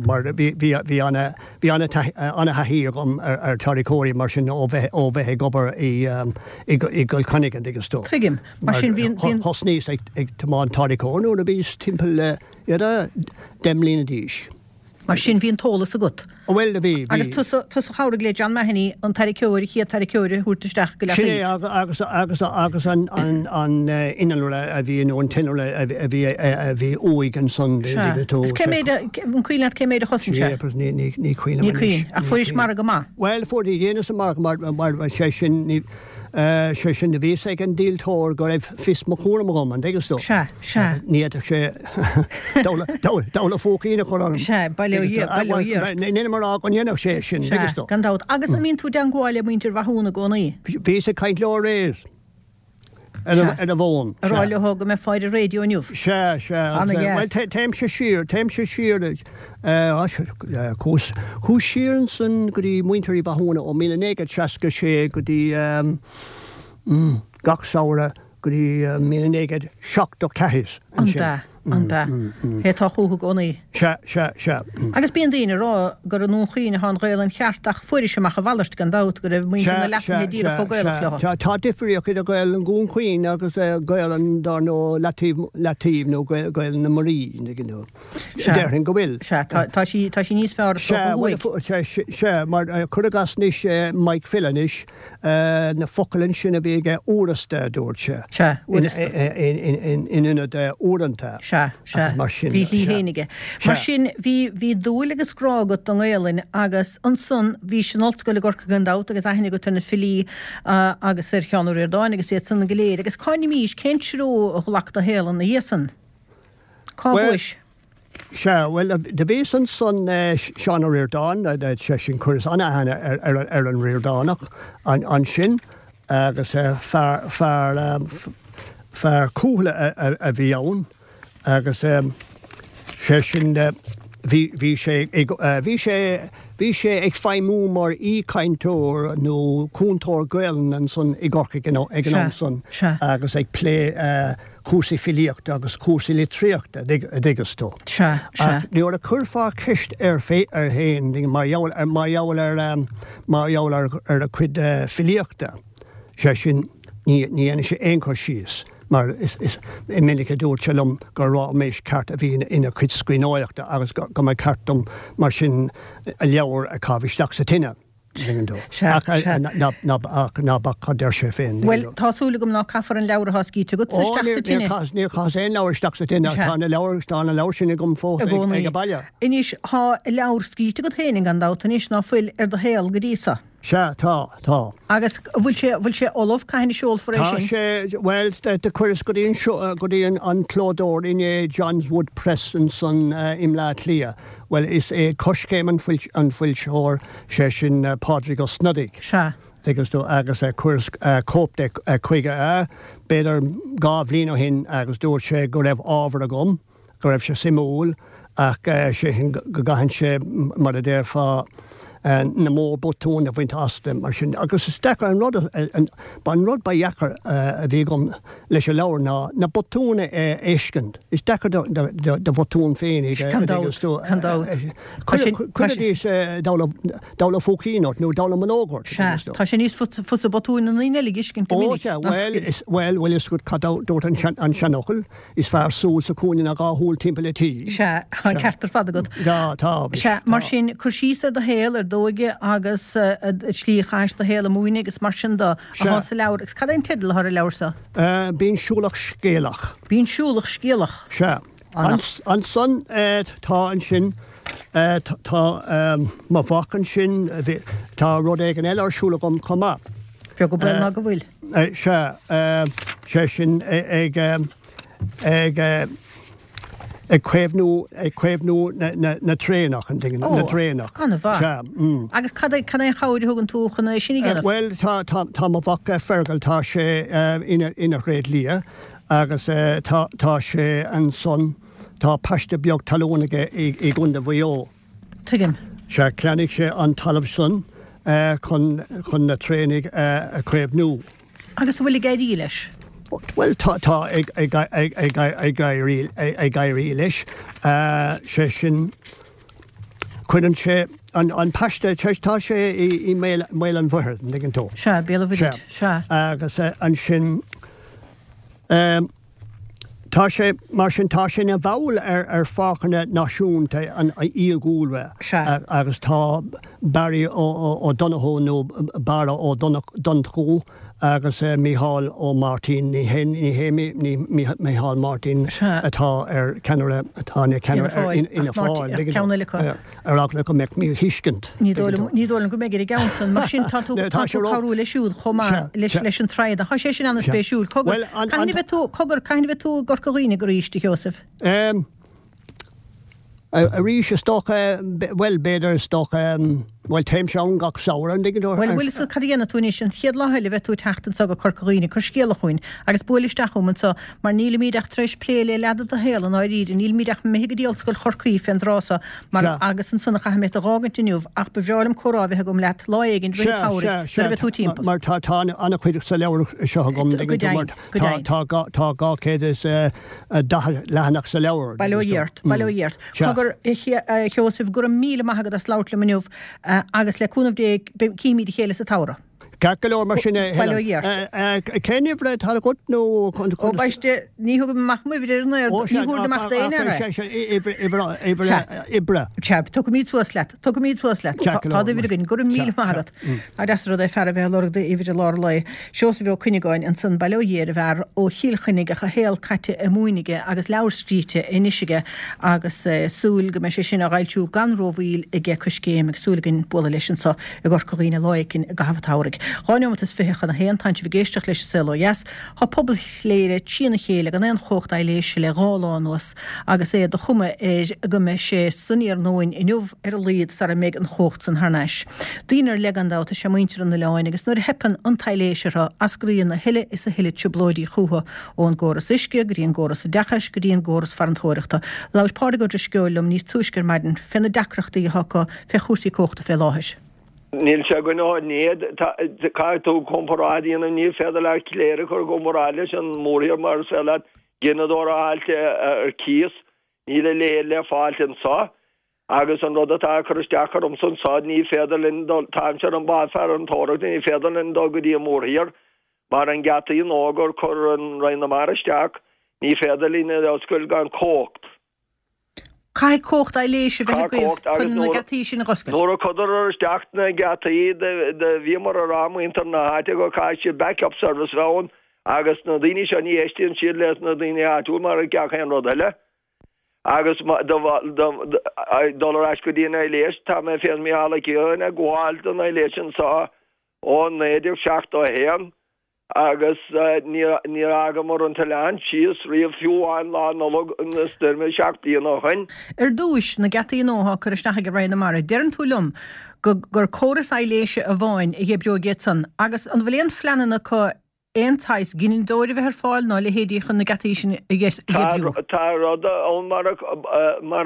Mar bhí bhí bhí ana bhí ana ana thaithí agam ar ar tarracóirí mar sin ó bheith ó bheith ag obair i i gCill Chainnigh an dtuigeann tú. Tuigim. Mar sin bhí bhí Thosnaíos ag ag tiomáint tarracóir nuair a bhíos timpeall le deich mbliana d'aois. Mar sin bhí an t-eolas agat. Bhuel, bhí, bhí. Agus tusa, tusa a chabhraigh le John Mahony an tarracóir, an chéad tarracóir a thabhairt isteach go Sin é, agus, agus, agus an, an, an innealra a bhí, nó an t-innealra a bhí, a bhí uaidh ansan, Sea. Is cé méid a, an cuimhin leat cé méid a chosain sé? Jeepers, ní, ní, ní cuimhin liom Ní cuimhin. anois. Ach fuairis margadh maith. Bhuel, fuair, dheineas an margadh mar, mar, sé sin, ní, sé sin, bhí fhios ag an díoltóir go raibh fios mo chúraim agam, an dtuigeann tú? Sea, sea. Ní fhéadfadh sé dabhla phóicín a chur orm. Sea, bail ó Dhia, bail ó Dhia ort. Nílim ag rá go ndéanfadh sé sin, an dtuigeann Sea, tú? gan dabht. Agus an mbíonn tú i dteangmháil le muintir Mhathúna i gcónaí? Bhíos ag caint leo aréir. Ar an bhfón. A rá leo go mbeidh ar an raidió inniu. Sea, sea. Ana-dheas. Bhuel, téimse siar, téimse siar, chuas, chuas siar ansan go dtí muintir Uí Mhathúna ó míle naoi gcéad seasca sé go dtí gach samhradh go dtí míle naoi gcéad seachtó ceathair ansin. An b'ea? An b'ea? Hé tá chúthu i gcónaí. Sea, sea, sea. Agus bíonn daoine ag rá gur i nDún Chaoin atá an Ghaelainn cheart ach fuairis amach a mhalairt gan dabht, go raibh muintir na Sea, Leataoibhe sea, díreach sea, chomh Gaelach sea. leo. Tá, tá difríocht idir Gaelainn Dhún Chaoin agus Gaelainn, dar ndóigh, Leataoibh, Leataoibh nó Gaelainn na Muirí, you know. Sea. Déarfainn go bhfuil. Sea, tá, tá sí, tá sí níos fearr is dócha Sea, bhuel, thuaidh. sea, sea, mar cuir i gcás anois Mike Phil anois, na focail ansin a bhí aige uaireasta, a dúirt sé. Sea, uaireasta. In ionad uaireanta. Sea, sea. Mar sin. Bhí a shlí féin aige. Mar sin, bhí, bhí dúil agus grá agat don nGaelainn agus ansan bhís in ollscoil i gCorcaigh gan dabht agus aithne agat ar na filí agus ar Sheán Ó Ríordáin agus iad san go léir. Agus cá n-imís, cén treo a ghlac do shaol ina dhiaidh san? Cá Bhuel, gcuais? Sea, bhuel, do bhíos ansan, Seán Ó Ríordáin, sé sin, chuireas an-aithne ar an Ríordánach ansin agus fear, fear, fear cúthaile a bhí ann agus sé sin, bhí, bhí sé ag, bhí sé, bhí sé ag feidhmiú mar aoichainteoir nó cúntóir Gaelainne ansan i gCorcaigh ag an am san agus ag plé cúrsaí filíochta agus cúrsaí litríochta, a dtuigeas tú. Sea, sea. Ach nuair a chuirfeá ceist air air féin mar gheall ar, mar gheall ar, mar gheall ar, ar a chuid filíochta, sé sin, ní, ní dhéanadh sé aon chur síos, mar is, is minic a dúirt sé liom gur ráiméis ceart a bhí ina chuid scríbhneoireachta agus go, go mba cheart dom mar sin a leabhar a chaitheamh isteach sa tine. Sea, Ach sea. ná, ná, ach ná bac cad deir sé féin. Bhuel, tá súil agam ná caithfear an leabhar atá scríte agatsa Ó, isteach níor, sa níor tine. chaitheas, níor chaitheas aon leabhar isteach sa tine. Sea. Tá na leabhair, tá na leabhair sin agam fós I ag, gcónaí. ag an baile. Anois, tá leabhar scríte agat féin gan dabht anois ná fuil ar do shaol go dtí so. Sea, tá, tá. Agus an bhfuil sé, bhfuil sé ullamh, cathain a seolfar é Tá sin? sé, bhuel, do chuireas go dtí an seo, go dtí an, an clódóir inné, John's Wood Press ansan i mBleá Cliath. Bhuel, is é Coiscéim an foil, an foilsitheoir, sé sin Pádraig Ó Snodaigh. Sea. Tuigeann tú, agus chuireas cóip de chuige, b'fhéidir dhá bhliain ó shin agus dúirt sé go raibh ábhar agam, go raibh sé suimiúil ach sé sin go gcaithfinnse, mar a déarfá, na mórbhotúin a bhaint as de mar sin. Agus is deacair an rud, an rud ba dheacair a bhí agam leis an leabhar ná na botúin a fheiscint. Is deacair do bhotúin féin a Gan dabht, gan dabht. Cuiridís dabhla phóicín ort nó dallamullóg ort. Sea, tá sé níos fusa botúin na ndaoine eile a fheiscint go Ó minic. sea, bhuel, bhuel, bhfuil fhios agat cad a dúirt an seanfhocal, is fearr súil sa chúinne ná dhá shúil timpeall an tí. Sea, tá an ceart ar fad agat. Tá, tá. Sea, mar sin, cur síos ar do shaol, ar d'óige agus an tslí a chaithis do shaol ag múineadh agus mar sin de, atá sa leabhar. Agus cad é an teideal atá ar an leabhar seo? Bean Siúlach Scéalach. Bean Siúlach Scéalach. Sea. Ansan tá ansin, tá mo mhac ansin, tá rud éigin eile ar siúl agam chomh maith. Beag an baol ná go bhfuil. Sea, sé sin ag, ag, ag caomhnú, ag caomhnú na traenach, an dtuigeann, na traenach. Ó, an-mhaith. Sea, mm. Agus cad é, cad é an chabhair a thugann tú chun é sin a dhéanamh? Bhuel, tá, tá, tá mo mhac Fergal, tá sé ina, ina thréadlia agus tá, tá sé ansan, tá paiste beag talún aige i i gContae Mhaigh Eo. Tuigim. Sea, cheannaigh sé an talamh san chun chun na traonaigh a chaomhnú. Agus an bhfuil ag éirí leis? Bhuel, tá tá ag ag ag ag ag éirí ag éirí leis. Sé sin, cuireann sé an an paiste, tá sé i i mBéal mBéal an Mhuirthead, an dtuigeann tú? Sea, Béal an Mhuirthead, sea. Agus ansin, Tá sé, mar sin, tá sé ina bhall ar ar Pháirceanna Náisiúnta an Fhiadhúlra agus tá Barry Ó Donnchú nó Barra Ó Donnchú agus Mícheál Ó Máirtín, ní hé ní hé Mícheál Martin atá ar ceannaire atá ina cheannaire ar Fhianna Fáil, ceann eile acu. Ar eagla go mbeadh míthuiscint. Ní dóigh liom, ní dóigh liom go mbeidh ar an gceann san. Mar sin, tá tú, tá tú ag cabhrú leis siúd chomh maith leis, leis an tráth. Tá sé sin an-spéisiúil. Cogar, cathain a bheidh tú, cogar, cathain a bheidh tú i gCorca Dhuibhne arís, a Sheosaimh? Arís, is dócha, bhuel, b'fhéidir, is dócha, bhuel, téimse ann gach samhradh, an dtuigeann tú? Bhuel, bhfuil fhios agat cad a dhéanfaidh tú anois, an chéad lá eile a bheidh tú ag teacht anso go Corca Dhuibhne, cuir scéala chugainn agus buail isteach chugam anso, mar nílimíd ach tar éis plé le leath de do shaol i ndáiríre, nílimíd ach imithe go dtí Ollscoil Chorcaí fén dtráth so, mar, agus ansan a chaithfidh mé tu dh'fhágaint inniu, ach ba bhreá liom comhrá a bheith agam leat lá éigin rith an tsamhraidh, nuair a bheidh tú timpeall. Mar tá, tá an-chuid sa leabhar seo agam, an dtuigeann tú, mar tá, tá, tá dhá chéad is daichead leathanach sa leabhar. Bail ó Dhia ort, bail ó Dhia ort. Cogar, a Sheosaimh, go raibh míle maith agat as labhairt liom inniu agus le cúnamh Dé cífimid a chéile sa tsamhradh. Ceart go leor mar sin a Bail ó Dhia ort. Cén uimhir atá agat nó Ó baiste, ní thugaim amach m'uimhir ar an aer, ní thabharfainn amach d'aon fhear é. Uimhir oibre. Sea, tiocfaimid suas leat, tiocfaimid suas leat. Tá d'uimhir againn, go raibh míle maith agat. Nach deas an rud é fear a bheith ag lorg d'uimhir i lár an lae. Seosamh Ó Cuinneagáin ansan, bail ó Dhia ar an bhfear, ó Chill Chainnigh ach a shaol caite i Mumhain aige agus leabhar scríte anois aige agus súil go mbeidh sé sin á fhoilsiú gan rómhoill aige Coiscéim agus súil againn bualadh leis anso i gCorca Dhuibhne lá éicin i gcaitheamh an tsamhraidh. Dhá neomat is fiche chun a haon, tánn sibh ag éisteacht leis an Saol Ó Dheas. Tá pobal Chléire trína chéile gan aon chumhacht aibhléise le dhá lá anuas agus é de chuma air go mbeidh sé san iarnóin inniu ar a laghad sara mbeidh an chumhacht san thar n-ais. Daoine ar leith gan dabht is ea muintir an oileáin agus nuair a theipeann an t-aibhléis orthu eascraíonn a thuilleadh is a thuilleadh trioblóidí chucu, ón gcóras uisce go dtí an gcóras oideachais go dtí an gcóras farantóireachta. Labhair Pádraig Ó Drisceoil liom níos túisce ar maidin fé na deacrachtaí atá acu fé chúrsaí cumhachta fé láthair. Níl sé againn ó inné. Caithfidh tú comparáid a dhéanamh, ní féidir leat Cléire a chur i gcomparáid leis an mórthír mar is féidir leat gineadóir a fháilt ar cíos, níl a leithéid le fáilt anso. Agus an rud atá ag cur isteach ormsa anso, ní féidir linn dul, táimse ar an bád farantóireachta, ní féidir linn dul go dtí an mórthír mar an geataí nua gur chuir an Roinn na Mara isteach, ní féidir linn iad a oscailt gan cumhacht. Caithfidh cumhacht aibhléise a bheith agaibh chun na geataí sin a dh'oscailt. Nuair a chuireadar isteach na geataí do bhíomar a rá muintir na háite go caithfidh siad back up service bheith ann agus na daoine seo ní éistíonn siad leis na daoine áitiúil mar gach aon rud eile. Agus dul ar ais go dtí an aibhléis, tá mé féin Mícheál Ó Ciaráin ag gabháil don aibhléis anseo ó naoi déag seachtó a haon. Agus níor fhágamar an t-oileán síos riamh, fiú amháin Lá Nollag na stoirme seacht bliana ó shoin. Ar dtúis, na geataí nua atá á cur isteach ag Roinn na Mara, deireann tú liom go gur córas aibhléise amháin a dh'oibreoidh iad san, agus an bhfuil aon phleananna acu aon tsaghas gineadóir a bheith ar fáil ná a leithéidí chun na geataí sin a dh'oibriú? Tá rud ann mar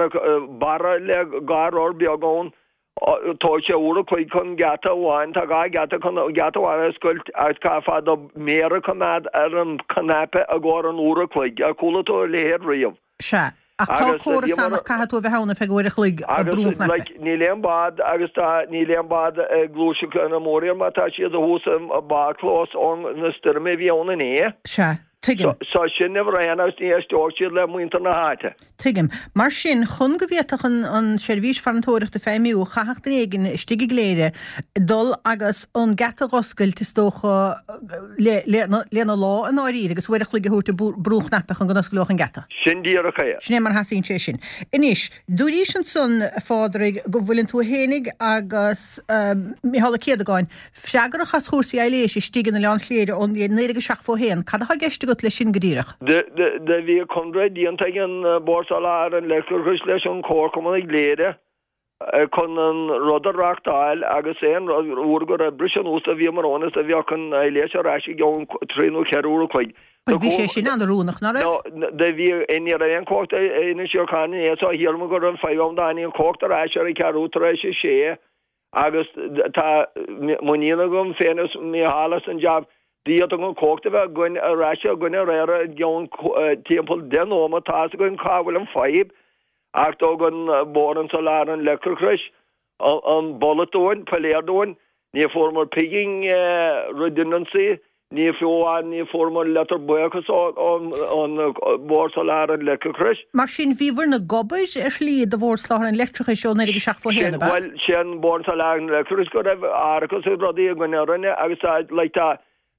barra le dhá rothar beag ann Tógfaidh sé uair a chloig chun geata amháin, tá dhá gheata chun geata amháin a oscailt agus caithfeá do mhéar a choimeád ar an chnaipe i gcomhair an uair a chloig. Ar chuala tú a leithéid riamh? Sea, ach tá córas ann ach caithfidh tú a bheith ann ar feadh uair a chloig ag brú an Agus, chnaipe. like, níl aon bád agus tá, níl aon bád ag gluaiseacht ar an mórthír mar tá siad thuas i bádchlós ón na stoirme a bhí ann inné. Sea. Tuigim. So sin uimhir a haon agus ní éisteoidh siad le muintir na háite. Tuigim. Mar sin, chun go bhféadfadh an an seirbhís farantóireachta feidhmiú, chaithfeadh duine éigin istigh i gCléire dul agus an geata dh'oscailt, is dócha, le le lena lámh i ndáiríre agus uair a chloig a thabhairt ag brú an chnaipe chun go n-osclódh an geata. Sin díreach é. Sin é mar a theastaíonn sé sin. Anois, dúraís ansan, a Phádraig, go bhfuileann tú fhéinig agus Micheál Ó Céadagáin Freagrach as chúrsaí aibhléise istigh in Oileán Chléire ó naoi déag seachtó a haon. Cad atá i gceist agat leis sin go díreach? Do bhí conradh déanta ag an Bord Soláthair an Leictreachais leis an Chomharchumann i gCléire chun an rud a reachtáil agus aon uair go raibh briseadh anuas do bhíomar ann is do bheadh an aibhléis ar ais i gceann trí nó ceithre uair a chloig. Bhuel, bhí sé sin an-oiriúnach, ná raibh? No, do bhí, ní raibh aon chumhacht in Síocháin inné so shíleamar go raibh an fadhb ann tháinig an chumhacht ar ais ar an ceathrú tar éis a sé agus tá muinín agam féin is Mícheál as an jab d'fhéadfadh an chumhacht a bheith againn ar ais againn aréir i gceann timpeall deich nóiméad tá fhios againn cá bhfuil an fadhb. Ach thug an Bord an Soláthair an Leictreachais an bolg dúinn, piléar dúinn, ní fuaireamar pingin redundancy, ní fiú amháin ní fuaireamar leitir buíochais ón Bhord Soláthair an Leictreachais. Mar sin, bhíobhair ag obair ar shlí do Bhord Soláthair an Leictreachais ó naoi déag seachtó a haon, ab ea? Bhuel, sé an Bord Soláthair an Leictreachais go raibh árachas agus rudaí againn orainne agus tá, like, tá,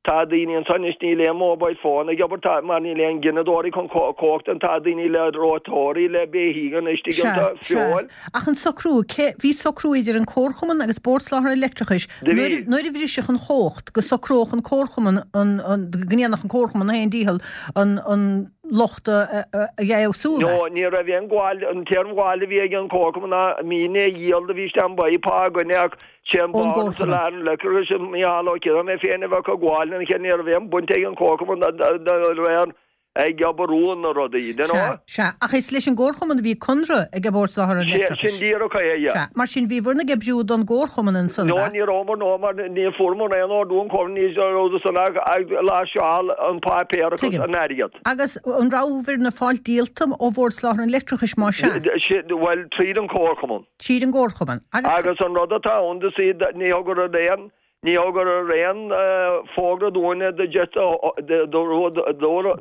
Tá daoine anso anois, níl aon mobile phone ag obair, tá, mar níl aon gineadóirí chun cumhachta, tá daoine le reoiteoirí, le beithígh anois, Sea, tuigeann tú, sea. feoil. Ach an socrú, cé, bhí socrú idir an Comharchumann agus Bord Soláthair an Leictreachais, Do nuair, bhí. nuair a bhrisfeadh an chumhacht, go socródh an Comharchumann an, an, go ndéanfadh an Comharchumann a fhéin dícheall an, an locht a, a, a fheabhsú, ab ea? No, ní raibh aon ghabháil, an t-aon ghabháil a bhí ag an Comharchumann ná mí i ndiaidh dhíol do bhí isteach an bpaí pá againne ach Sé an Ón Bord gComharchumann. Soláthair an Leictreachais Mícheál Ó Ciaráin mé féin a bheadh ag gabháil lena chéile ní raibh aon bhaint ag an Chomharchumann de réir ag obair na rudaí, do you know? Sea, sea. Ach is leis an gComharchumann a bhí conradh ag Bord Soláthair an Sin Leictreachais. díreach é, yeah. Sea. Mar sin bhíobhair ag oibriú don gComharchumann ansan, No, ab ea? ní rabhamar, no, mar ní fuaireamar aon ordú ón Chomharchumann, ní raibh san ach ag láimhseáil an páipéar agus Tuigim. an airgead. Agus an rabhabhair ag fáil díoltas ó Bhord Soláthair an Leictreachais má sea? Bhuel, tríd an Chomharchumann. Tríd an gComharchumann. Agus. Agus an rud atá ann do see ní thugadar aon, ní thugadar aon fógra dúinne do just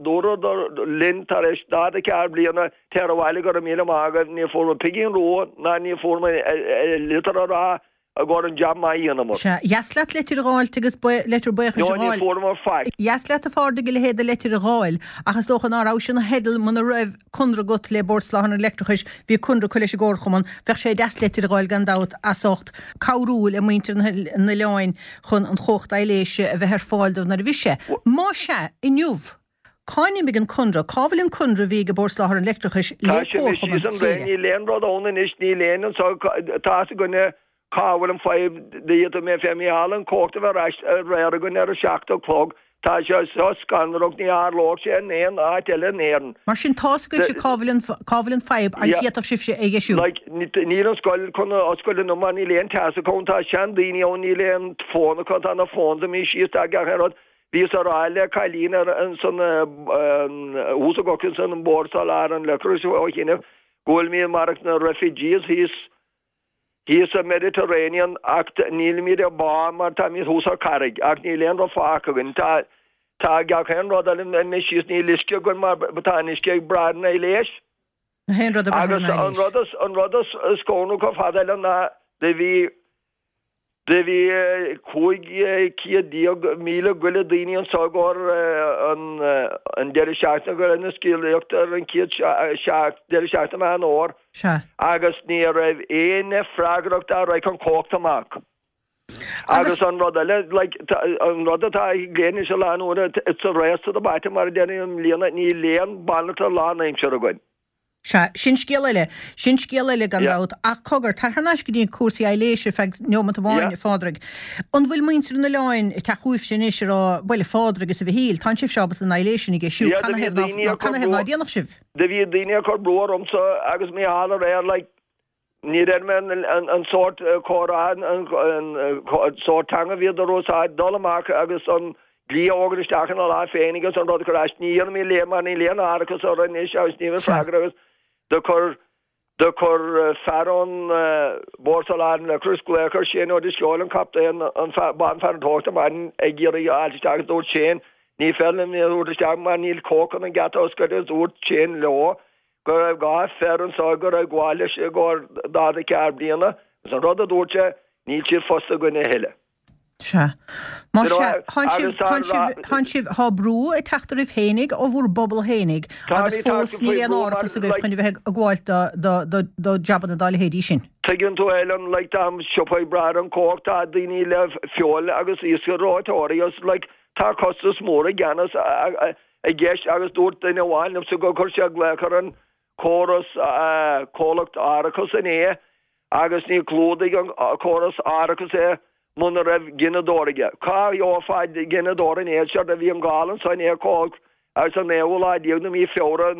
dúradar linn tar éis daichead a ceathair bliana téir abhaile go raibh míle maith agaibh, ní fuair muid pingin rua ná ní fuair muid litir a rá i gcomhair an jab maith a dheineamar. Sea, dheas leat leitir a dh'fháilt agus leitir buíochais No, a ní dh'fháil. fuaireamar faic. Dheas leat a Phádraig a leithéid de leitir a dh'fháil, ach is dócha ná raibh sin ina theideal muna raibh conradh agat le Bord Soláthair an Leictreachais, bhí conradh acu leis an gComharchumann, bheadh sé deas leitir a dh'fháil gan dabht as ucht cabhrú le muintir an oileáin chun an chumhacht aibhléise a bheith ar fáil dóibh nuair a bhí sé. Má sea, inniu, cá n-imigh an conradh? Cá bhfuil an conradh a bhí ag Bord Soláthair an Leictreachais Tá le sé anois Comharchumann síos an draein, Chléire? níl aon rud ann anois, níl aon anso, tá fhios againne cá bhfuil an fadhb, d'fhéadfadh mé féin Mícheál an chumhacht a bheith ar ais aréir againn ar a seacht a chlog, tá sé seo scanrach, ní tharlódh sé in aon áit eile in Éirinn. Mar sin tá's agaibhse cá bhfuil an cá bhfuil an fadhb agus Yeah. d'fhéadfadh sibhse é a dheisiú. Like, níl an scoil chun oscailt inniu mar níl aon teas acu, tá seandaoine ann, níl aon fón acu, tá na phones imithe síos, tá gach aon rud. Bhíos ag rá le cailín ar ansan thuas i gCorcaigh ansan an Bord Soláthair an Leictreachais ó chinnibh go bhfuil mé mar na refugees thíos thíos sa Mediterranean ach nílimid ag bá mar táimid thuas ar carraig ach níl aon rud fágtha againn. Tá tá gach aon rud eile imithe síos níl uisce againn mar tá an uisce ag brath ar an aibhléis. Na haon rud ag brath ar Agus an an aibhléis. rud is an rud is is scanrúil chomh fada eile ná do bhí Do bhí cúig chéad déag míle go leith daoine anso i gcomhair an deireadh seachtaine go raibh na scéalaíochta ar an chéad deireadh seachtaine Meán Fhómhair agus ní raibh éinne freagrach dá raghadh an chumhacht amach. Agus an rud eile, like, an rud atá ag léinn se lá nuair it's a race to the bottom mar a deirim i mbliana, níl aon banaltra lánaimseartha againn. Sea, sin scéal eile. Sin scéal eile gan Yeah. dabht. Ach cogar, tar thar n-ais go dtí cúrsaí aibhléise ar feadh neomat amháin, Yeah. a Phádraig. An bhfuil muintir an oileáin ag teacht chugaibhse anois ag rá, bhuel, a Phádraig is a Mhichíl, tánn sibhse ábalta an aibhléis sin a dheisiú, Yeah, do bhí canathaobh ná daoine ag cur canathaobh ná brú déanfadh sibh? Do bhí daoine ag cur brú ormsa agus Mícheál aréir, like, ní raibh mé an an an sórt comhrá, an an sórt teanga a bhíodar a úsáid, dul amach agus an dlí a fhógairt isteach ina láimh féin agus an rud a chur as. Ní dhéanfaimid léim mar níl aon árachas orainn anois agus ní bheidh Sea. freagra agus do chuir do chuir fear ón Bord Soláthair an Leictreachais glaoch ar Shane Ó Drisceoil an captaen an banfhear an maidin ag iarraidh a fháilt isteach agus dúirt Shane ní féidir linn é a thabhairt isteach mar níl cumhacht chun an geata a oscailt agus dúirt Shane leo go raibh dhá fear anso go raibh gabháil leis i gcomhair daichead a ceathair bliana agus an rud a dúirt sé níl siad fostaithe againn a thuilleadh. Sea. Má You know, sea, tánn sibh, agus tá tánn sibh, ra- tánn sibh, tá brú ag teacht oraibh fhéinig ó bhur bpobal fhéinig Tá agus ní teacht fós níl faoi aon bhrú mar, árachas agaibh like, chun a bheith ag gabháil do, do, do, do jabanna dá leithéidí sin. Tuigeann tú Helen, like, tá siopaí ag brath ar an chumhacht, tá daoine le feoil agus iasc reoiteoirí agus, like, tá costas mór i gceannas i gceist agus dúirt duine amháin liomsa gur chuir sé glaoch ar an córas, comhlacht árachais inné agus ní chlúdaigh an córas árachais é muna raibh gineadóir aige. Cá gheofá gineadóir an éad seo a bhí an gála ansan é cóg agus an naoú lá déag de mhí Feabhra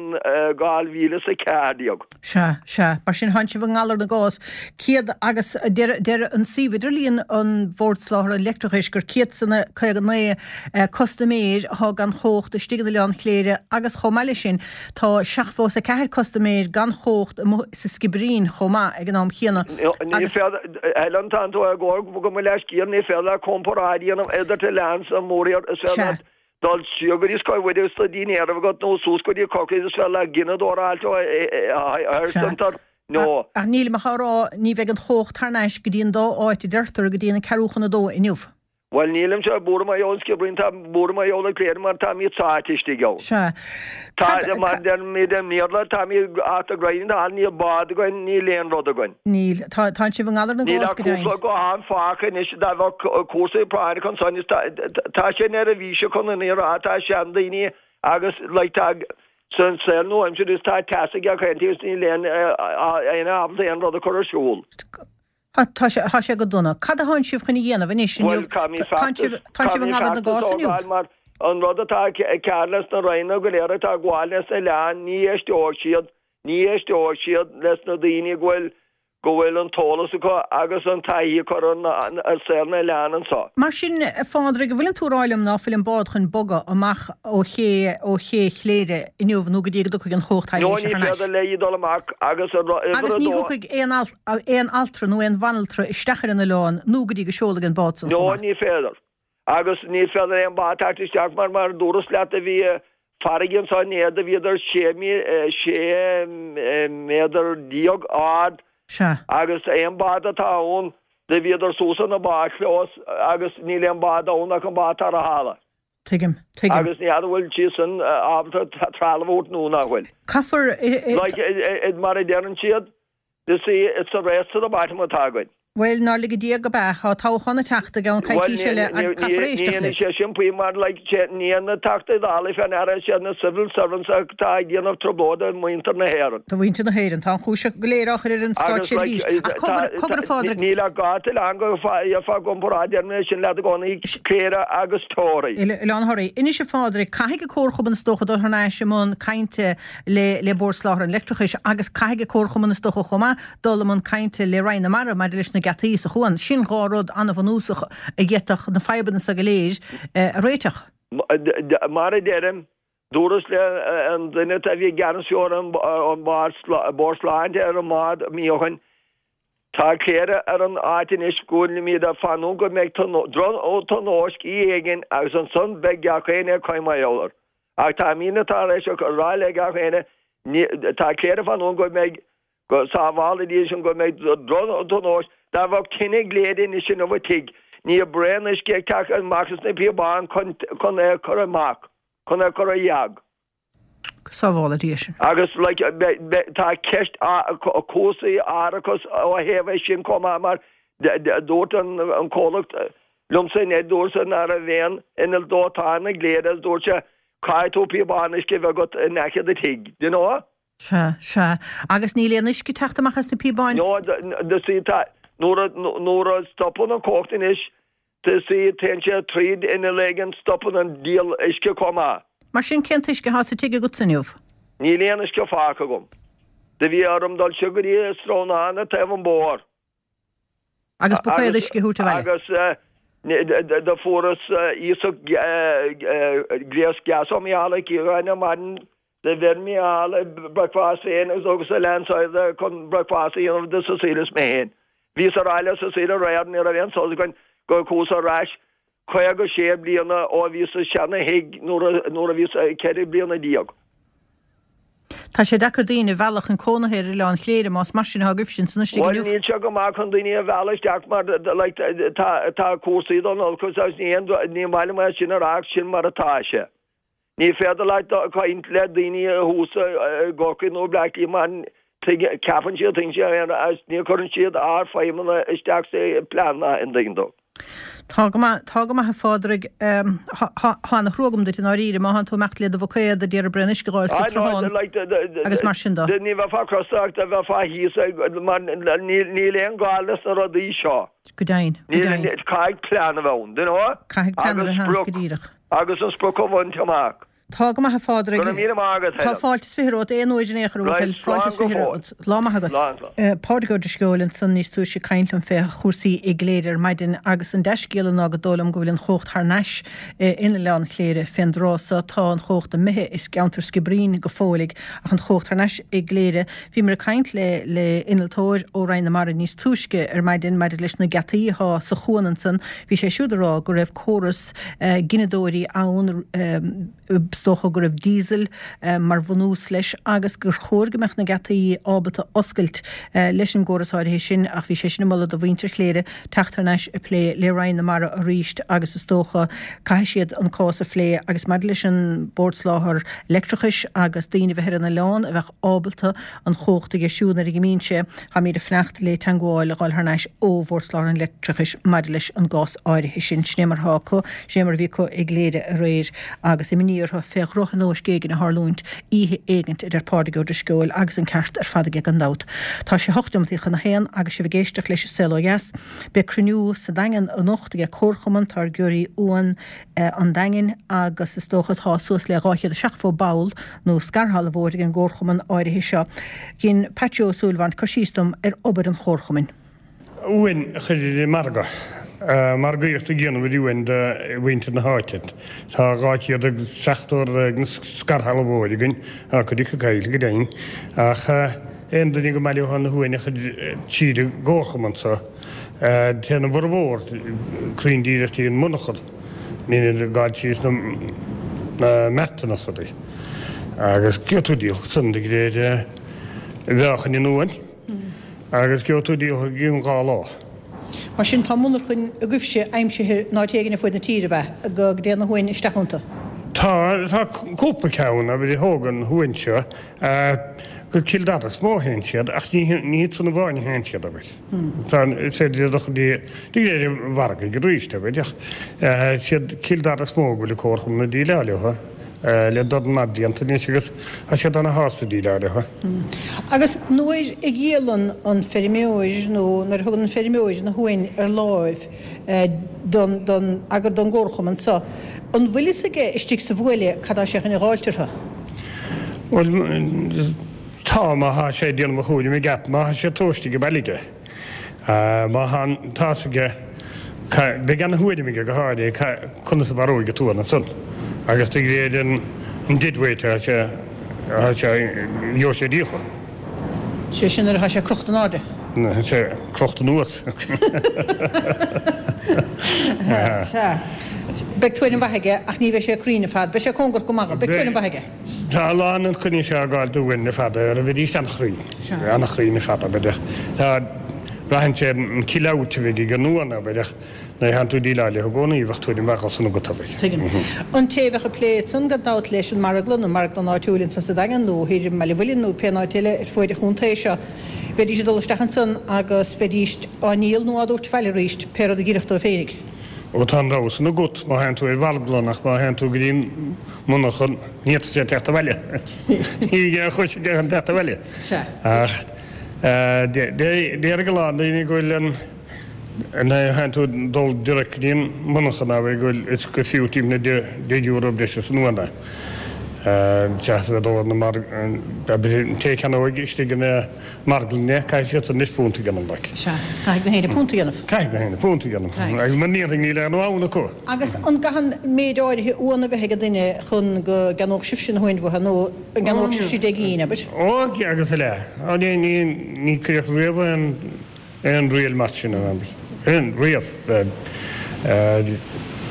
dhá mhíle is a ceathair déag. Sea, sea. Mar sin thánn sibh i ngalar na gcás. Céad agus deir, deir an suíomh idirlíon an Bhord Soláthair an Leictreachais gur céad is a caoga naoi custaiméir athá gan chomhacht istigh in Oileán Chléire agus chomh maith leis sin tá seachtó is a ceathair custaiméir gan chomhacht amuigh sa Sciobairín chomh maith ag an am chéanna. Ní Agus. féidir, Helen, tánn tú ag gabháil go mo leithscéal, ní féidir leat comparáid a dhéanamh idir t-oileán is an mórthír, is féidir Sea. leat dul siar go dtí Scoil Mhuire is do dhinnéar a bheith agat nó suas go dtí Corcaigh is féidir leat gineadóir a fháilt ó Sea. Centre nó. Ach nílim ach á rá, ní bheidh an chomhacht thar n-ais go dtí an dá áit a deirtear go dtí an ceathrú chun a dó inniu. Bhuel, nílimse buartha mar gheall ar an Sciobairín, tá buartha mar gheall ar Chléire mar táimid sáite istigh ann. Sea. Tá, Cad, mar deirimid i mBéarla, táimid at the grind hall, níl bád againn, níl aon rud againn. Níl. Tá, tánn sibh i ngalar na Níl gcás ach go deimhin. cúpla guthán fágtha anois, dá bheadh cúrsaí práinneacha ansan, is tá, tá sé neirbhíseach chun an fhíor a rá, tá seandaoine agus like tá san saol nua-aimseartha is tá teas ag gach aon taobh is níl aon, aon ábalta aon rud a chur ar siúl. Tá sé, tá sé go dona. Cad a thánn sibh chun a dhéanamh anois Bhuel, inniu? caithfimid Tánn feachtas, sibh, tánn sibh i caithfimid ngalar na feachtas gcás a inniu? thógáil mar an rud atá cearr leis na ranna go léir atá ag gabháil leis na oileáin, ní éisteoidh siad, ní éisteoidh siad leis na daoine go bhfuil, go bhfuil an t-eolas acu agus an taithí acu ar an, ar saol na n-oileán anseo. Mar sin, a Phádraig, an bhfuileann tú ag rá liom ná fuil an bád chun bogadh amach ó ché, ó ché Chléire inniu nó go dtí go dtiocfaidh an chumhacht No, thairis ní thar n-ais? féidir léi dul amach agus a ru- uimhir Agus a ní dó. thiocfaidh aon alt, aon altra nó aon bhanaltra isteach ar an oileán nó go dtí go seolfaidh an bád san No, chomh maith. ní féidir. Agus ní féidir aon bád teacht isteach mar mar dúras leat a bhí farraige anso inné do bhíodar sé mí, sé méadar déag ard Sea. agus aon bád atá ann do bhíodar suas ina bádchlós agus níl aon bád ann ach an bád tarrthála. Tuigim, tuigim. Agus ní fheadar bhfuil siad san ábalta trealamh a thabhairt nó nach bhfuil. Caithfear, i, i, Like, i, i, mar a deireann siad, you see, it's a race to the bottom atá againn. Bhuel, nár lige Dia gurb ea, tá toghchán ag teacht i gceann coicíse eile agus caithfear éisteacht Ní libh. sé sin faoi mar like, sé ní na Teachtaí Dála fé ndeara sé na civil servants atá ag déanamh trioblóide do mhuintir na hÉireann. Do mhuintir na hÉireann, tá an chúis go léir á chur ar an Agus like, státseirbhís. Ach cogar, cogar a Phádraig, Níl ach dhá oileán go fá gcomparáid ar mé sin leat i gcónaí Cléire agus Toraigh. Oileán Thoraí. Anois a Phádraig, caithfidh an Comharchumann is dócha dul thar n-ais i mbun cainte le le Bord Soláthair an Leictreachais agus caithfidh an Comharchumann is dócha chomh maith dul i mbun cainte le Roinn na Mara maidir leis na geataí sa chuan. Sin dhá rud an-bhunúsach a d'fhéadfadh na fadhbanna seo go léir eh, a réiteach. Mar a deirim, dúras le an duine a bhí i gceannas ar an an Bord Sláinte ar an mbád mí ó shin, Tá Cléire ar an áit anois go bhfuilimid ag fanúint go mbeidh tionóisc éigin agus ansan beidh gach éinne ag caint mar gheall air. Ach tá míne tar éis a rá le gach éinne, tá Cléire ag fanúint go mbeidh go sábhála Dia sin go mbeidh tionóisc, dá bheadh tine i gCléire anois inniu a tigh, ní braon uisce ag teacht amach as na píobáin chun chun é a chur amach, chun é a chur ar dheag. Go sábhála Dia sin. Agus like, tá ceist cúrsaí árachais ó thaobh é sin chomh maith mar dúirt an an comhlacht liomsa inné dúirt sé nach raibh aon inneall dóiteáin i gCléire agus dúirt sé caithfidh tú píobán uisce a bheith agat in aice do tigh, do you know? Sea, sea. Agus níl aon uisce ag teacht amach as na píobáin? No, do see tá nuair a nuair a stopann an chumhacht anois do see téann sé tríd inneall éigin stopann an díol uisce chomh maith. Mar sin cén t-uisce atá sa tigh agatsa inniu? Níl aon uisce fágtha agam. Do bhí orm dul siar go dtí srónán ag taobh an bhóthair. Agus buicéad uisce a thabhairt abhaile? Agus do fuaireas iasacht gléas gas ó Mhicheál Ó Ciaráin ar maidin do bheir Micheál bricfeasta féin agus agus a lean said chun bricfeasta a dhéanamh do Cecile is mé féin. Bhíos ar le Cecile aréir ní raibh aon sos againn go chuas ar ais caoga sé bliana ó bhíos sa seana-thigh nuair a bhíos ceithre bliana déag. Tá sé deacair daoine a mhealladh chun cónaithe ar Oileán Chléire más mar sin atá agaibh sin san istigh Bhuel inniu. níl sé go maith chun daoine a mhealladh isteach mar like, tá tá cúrsaí don olcas agus ní ní maith liom é sin a rá ach sin mar atá sé. Ní féidir leat caint le daoine thuas i gCorcaigh nó Bleá Cliath mar Ceapann siad tuigeann siad agus ní chuireann siad ár feidhmeanna isteach sa plean an dtuigeann tú. Tá go maith, tá go maith a Phádraig. Tá ana-thrua agam duit i ndáiríre, má thánn tú ag imeacht le do bhuicéad a d'iarraidh braon uisce a dh'fháil sa tsruthán agus mar sin de. Ní bheifeá crosta ach do bheifeá thíos mar níl aon gá leis na rudaí seo. Go deimhin, go deimhin. Caithfidh plean a bheith ann, do you know? Caithfidh plean a bheith ann, go díreach. Agus an sprioc a bhaint amach. Tá go maith a Phádraig. Go raibh míle maith agat, Tá Helen. fáilte is fiche romhat aon uair in aon chor, a Right, bhuachaill. Fáilte slán is go fiche fóill. romhat. Lá maith agat. Slán, slán. Pádraig Ó Drisceoil ansan níos túisce ag caint liom fé chúrsaí i gCléire ar maidin agus an dea-scéala ná go dóigh liom go bhfuil an chumhacht thar n-ais in Oileán Chléire fén dtráth so. Tá an chumhacht imithe i gceantar Skibbereen go fóilligh ach an chumhacht thar n-ais i gCléire. Bhíomar ag caint le le innealtóir ó Roinn na Mara níos túisce ar maidin maidir leis na geataí atá sa chuan ansan. Bhí sé siúd ag rá go raibh córas gineadóirí ann, is dócha go raibh diesel mar bhunús leis agus gur chóir go mbeadh na geataí ábalta oscailt leis an gcóras áirithe sin ach bhí sé sin ag moladh do mhuintir Chléire teacht thar n-ais ag plé le Roinn na Mara arís agus is dócha caithfidh siad an cás a phlé agus maidir leis an Bord Soláthair Leictreachais agus daoine a bheith ar an oileán a bheadh ábalta an chumhacht a dheisiú nuair a imíonn sé, táimid ag fanacht le teagmháil a dh'fháil thar n-ais ó Bhord Soláthair an Leictreachais maidir leis an gcás áirithe sin. Sin é mar atá acu, sin é mar a bhí acu i gCléire aréir agus imní orthu fé dhrochthionóisc éigin a tharlúint oíche éigint, a deir Pádraig Ó Drisceoil, agus an ceart ar fad aige gan dabht. Tá sé hocht neomataí chun a haon agus sibh ag éisteacht leis an Saol Ó Dheas. Beidh cruinniú sa Daingean anocht ag Comharchumann Táirgeoirí Uan an Daingin agus is dócha tá suas le dhá chéad is seachtó ball nó scairshealbhóir ag an gcomharchumann áirithe seo. Dhein Patsy Ó Súilleabháin cur síos dom ar obair an chomharchumainn. Uain a chur ar an margadh. Margaíocht a dhéanamh ar uain do mhuintir na háite. Tá dhá chéad agus seachtó ar na scairshealbhóirí againn, tá cuid acu caillte go deimhin, ach aon duine go mbaileofá na huain a chur tríd an gcomharchumann so, téann a bhformhór cruinn díreach dtí an monarchan, ní ag gabháil síos na meatanna is rudaí. Agus gheobhaidh tú díol san de réir mheáchain an uain. Agus gheobhaidh tú díol i gcionn dhá lá. Mar sin tá monarchain agaibhse aimsithe in áit éigin ar fuaid na tíre, ab ea, go dtéann na huain isteach iontu? Tá, tá cúpla ceann, abair, a thógann na huain seo, go Cill Dara is mó a théann siad, ach ní ní hiad san amháin a théann siad, abair. Tá, is féidir iad a chur de réir an mhargaidh arís, abair, ach is iad Cill Dara is mó go bhfuil an comharchumann ag déileáil leo. le dorn maith blianta anois agus tá siad ana-shásta déileáil leo. Agus nuair a dhíolann an feirmeoir nó nuair a thugann an feirmeoir na huain ar láimh don, don, agar don gcomharchumann so, an bhfuil fhios aige istigh sa bhuaile cad tá sé chun a dh'fháilt orthu? Bhuel, tá, má thá sé ag déanamh a chúraim i gceart, má thá sé tomhaiste ag baile aige. Má thá an t-fhios aige, beidh ana-thuairim aige go háirithe conas a mharóidh an t-uan ansan agus de réir an deadweight atá sé, atá sé, gheobhaidh sé díolta. Sé sin nuair atá sé crochta in airde. Nuair atá sé crochta anuas. Sea. Beidh tuairim mhaith aige ach ní bheidh sé cruinn ar fad. Beidh sé cóngarach go maith dó. Beidh tuairim mhaith aige. Tá a lán an coinne seo ag gabháil d'uain le fada ar a bhfidís an-chruinn. An-chruinn ar fad, abair. Tá, braitheann sé ar an kill-out a bheidh ag an uan, abair, ach nuair a théann tú ag déileáil leo i gcónaí, bheadh tuairim mhaith dhó san agat, abair. Tuigim. An té a bheadh ag plé ansan gan dabht leis an marglann, an marglann áitiúil ansan sa Daingean nó thoir i mBaile Mhuilinn nó pé áit eile ar fuaid an chontae seo, bheidís ag dul isteach ansan agus bheidís á ndíol nó á dtabhairt abhaile arís, pé rud a d'oirfeadh dóibh féinig. Ó tá an rogha san agat má théann tú ar mharglann ach má théann tú go dtí an monarchan ní fhéadfaidh siad teacht abhaile. Ní bheidh aon chúis aige chun teacht abhaile. Ach déarfaidh a lán daoine go bhfuil an nuair a théann tú dul direct go dtí an monarchan abair go bhfuil is gur fiú timpeall na deich euro breise san uan é. Seachas a bheith ag dul ar na mar abair an té a cheannóidh istigh ina marglann é, caithfidh siad anois punt a dhéanamh like. Sea, caithfidh na héinne punt a dhéanamh. Caithfidh na héinne punt a dhéanamh. Agus mura ndéanfaidh níl aon uan acu. Agus an gcaitheann méid áirithe uan a bheith ag an duine chun go gceannódh sibhse na huain uathu nó an gceannódh sibhse deich gcinn, abair? Ó, agus a leath. Ó, ní, ní, ní cuireadh riamh aon aon riail mar sin ann, aon, riamh.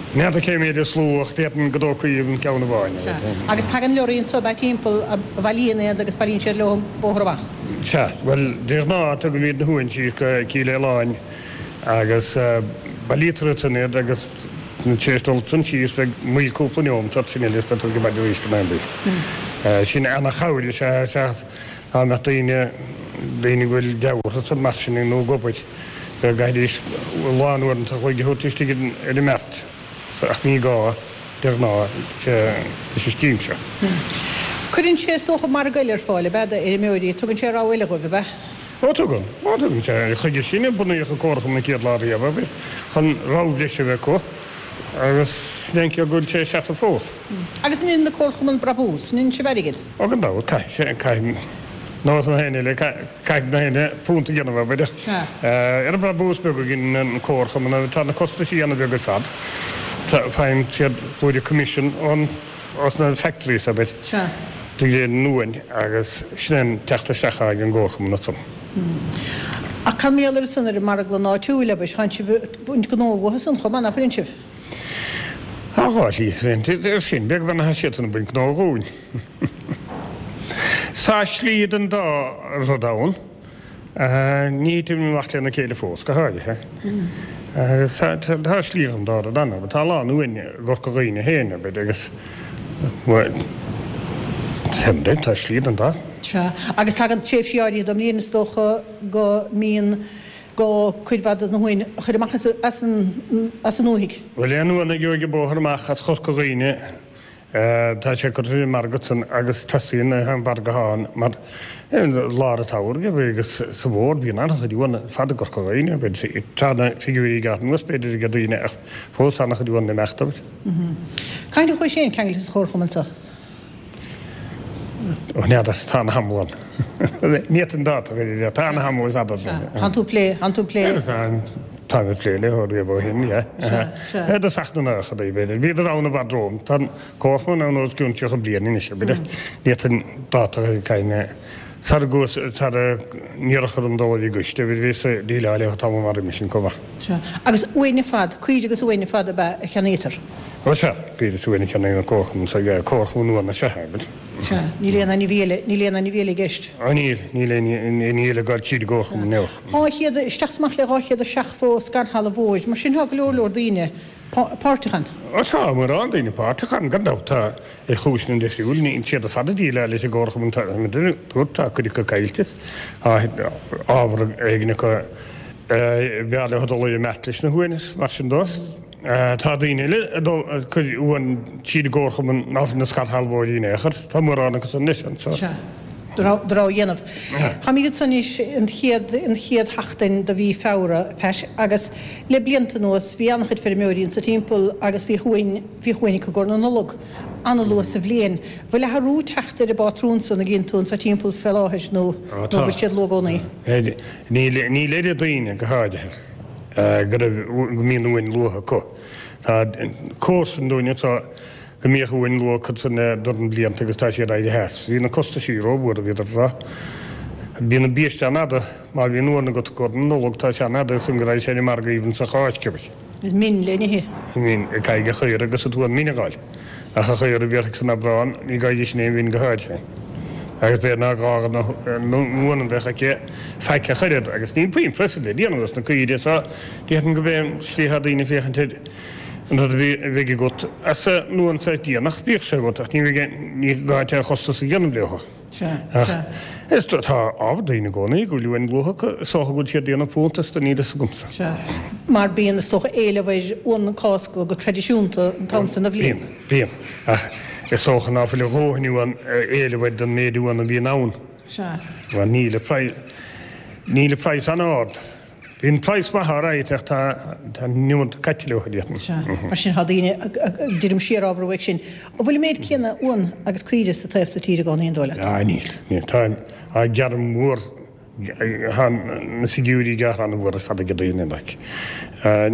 N'fheadar cé mhéad is lú ach d'fhéadfainn go dtógfaí an ceann amháin. Sea. Agus tagann leoraí anso ab ea timpeall a bhailíonn iad agus bailíonn siad leo an bóthar amach. Sea. Bhuel, de ghnáth tugaimid na huain síos go Cill Fhaoláin agus bailítear ansan iad agus tar éis dul ansan síos beidh moill cúpla neomat ort sin eile is beidh tú ag baile arís go Naomh Sin ana-chabhair is ea, sea, dá mbeadh daoine daoine go bhfuil deabhadh san mar sin nó ag obair, go gcaithfidís lán uaireanta a chloig a thabhairt istigh ar an mbeart, ach ní gá de ghnáth leis an scéim seo. Cuireann sé, is dócha, margadh eile ar fáil, ab ea, d'fheirmeoirí? Tugann sé rogha eile dhóibh, ab ea? Ó, tugann. Ó, tugann sé. Chuige sin a bunaíodh an Comharchumann an chéad lá riamh, abair, chun rogha breise a bheith acu agus sin é an chaoi go bhfuil sé ag seasamh fós. Agus an ndéanann na comharchumainn brabús? An ndéanann sibh airgead? Ó, gan dabht, caithfidh sé, caithfidh. Nós na héinne eile, caithfidh na héinne punt a dhéanamh, abair. Ar an brabús beag a dhéanann an comharchumann, tá na costaisí ana-bheag ar fad. Faigheann siad blúire coimisiún ón, ós na factories, abair, de réir an uain agus sin é an teacht isteach atá ag an gcomharchumann ansan. Ach cad mar gheall air san ar an marglann áitiúil, abair, tánn sibh ag baint gnó uathu san chomh maith, ná fuileann sibh? Tá dhá shlí ar sin, beag beann tá siadsan ag baint gnó dhúinn. Tá slí don dá rud ann. Ní thiteann amach lena chéile fós, go háirithe. Agus tá slí don dá rud ann, abair. Tá a lán uain i gCorca Dhuibhne féin, abair, agus, bhuel, tá slí don dá. Sea. Agus tagann tréimhsí áirithe den mbliain, is dócha, go mbíonn gá cuid mhaith de na huain a chur amach as an ndúthaigh. Bhuel, aon uan a gheobhaidh an bóthar amach as Chorca Dhuibhne, tá sé curtha ar an margadh san agus tosaíonn an margadh ann mar i lár an tsamhraidh agus sa bhfómhar bíonn an-chuid uan ar fad i gCorca Dhuibhne. Tá na figiúirí gearrtha anuas b'fhéidir ag daoine ach fós tá an-chuid uan ag imeacht abair. Cathain a chuaigh féin ceangailte sa chomharchumann seo? Ó n'fheadar, tá ana thamall ann. Ní fhéadfainn dáta a chur air, tá ana thamall ar fad ann. Tánn tú ag plé, tánn tú ag plé. Táim ag plé le ó riamh ó shin, yeah. Sea, sea. I dtosach na nóchaidí, b'fhéidir. Bhíodar ann i bhfad romham. Tá an comharchumann ann os cionn tríocha bliain anois, abair. Ní fhéadfainn dáta a chur air, caithfidh mé. Sara gcuas, sara n-iarrfadh orm dul ar an gcoiste, abair, bhíos ag déileáil leo tamall mar roimhe sin chomh maith. Sea. Agus uain ar fad, caoirigh agus uain ar fad ab ea a cheannaítear? Ó sea, caoirigh is uain a cheannaíonn an comharchumann seo, yeah, comharchumann uan is ea é, abair. Sea. Níl aon ainmhí eile, níl aon ainmhí eile i gceist? Ó níl, níl aon ainmhí eile ag dul tríd an gcomharchumann, no. Dhá chéad, isteach is amach le dhá chéad is seachtó scairshealbhóir, mar sin tá go leor leor daoine páirteach ann. Ó tá mórán daoine páirteach ann, gan dabht, tá, ar chúiseanna difriúil, níl siad ar fad ag déileáil leis an gcomharchumann, tá, dúirt, tá cuid acu caillte, tá ábhar éigin acu b'fhearr leo dul ar an mbeart leis na huain is mar sin dó. Tá daoine eile ag dul ag cur uan tríd an gcomharchumann ná fuil ina scairshealbhóirí in aon chor. Tá mórán acu san anois anseo. Sea. Do rogha a dhéanamh. Táimid ansan anois an chéad, an chéad sheachtain de mhí Feabhra, Pat, agus le blianta anuas bhí an-chuid feirmeoirí anso timpeall agus bhíodh uain, bhíodh uain acu i gcomhair na Nollag, an-luath sa bhliain. Bhfuil athrú teacht ar an bpátrún san a gcíonn tú anso timpeall fé láthair nó, nó bhfuil siad luath i gcónaí? Níl, níl oiread daoine, go háirithe, go raibh, go mbíonn uain luath acu. Tá comharsan dúinn anseo go mbíodh uain luath acu san le dornán blianta agus tá siad éirithe as. Bhí na costaisí rómhór, a bhíodar ag rá. Bíonn an biaiste an-fhada, má bhíonn uan agat i gcomhair na Nollag, tá sé an-fhada ansan go raghaidh sé ar an margadh even sa Cháisc, abair. Is min le n-ithe. Min, caithfidh an chaora agus an t-uan min a dh'fháil. Ach an chaora a bhéarfaidh san Aibreán, ní gá di sin aon mhin go háirithe. Agus b'fhéidir ná gá na uan a bheadh aici faic ach oiread. Agus níl puinn proifid le déanamh as na caoirigh so déarfainn go b'é an tslí atá daoine ag féachaint air an rud a bheidh agat as an uan so déanach, bíodh sé agat, ach ní bheidh, ní gá duit aon chostas a dhéanamh leo. Sea, sea. Is tá ábhar daoine i gcónaí go bhfuil uain luath acu, is dócha go bhfuil siad ag déanamh punt astu, níl fhios agamsa. Sea. Mar bíonn, is dócha, éileamh ar uan Cásca go traidisiúnta an t-am san de bhliain. Bíonn, bíonn. Ach is dócha ná fuil a dhóthain uan, éileamh air don méid uan a bhíonn ann. Sea. Mar níl an praghas, níl an praghas an-ard. Bíonn praghas maith alright ach tá an iomarca caite leo, déarfainn. Sea, mar sin tá daoine ag druidim siar ábhar uaidh sin. An bhfuil an méid céanna uan agus caoire sa taobh so tíre i gcónaí, an dóigh leat? Ah níl, níl. Tá an gearradh mór, tá na figiúirí gearrtha an-mhór ar fad ag daoine like.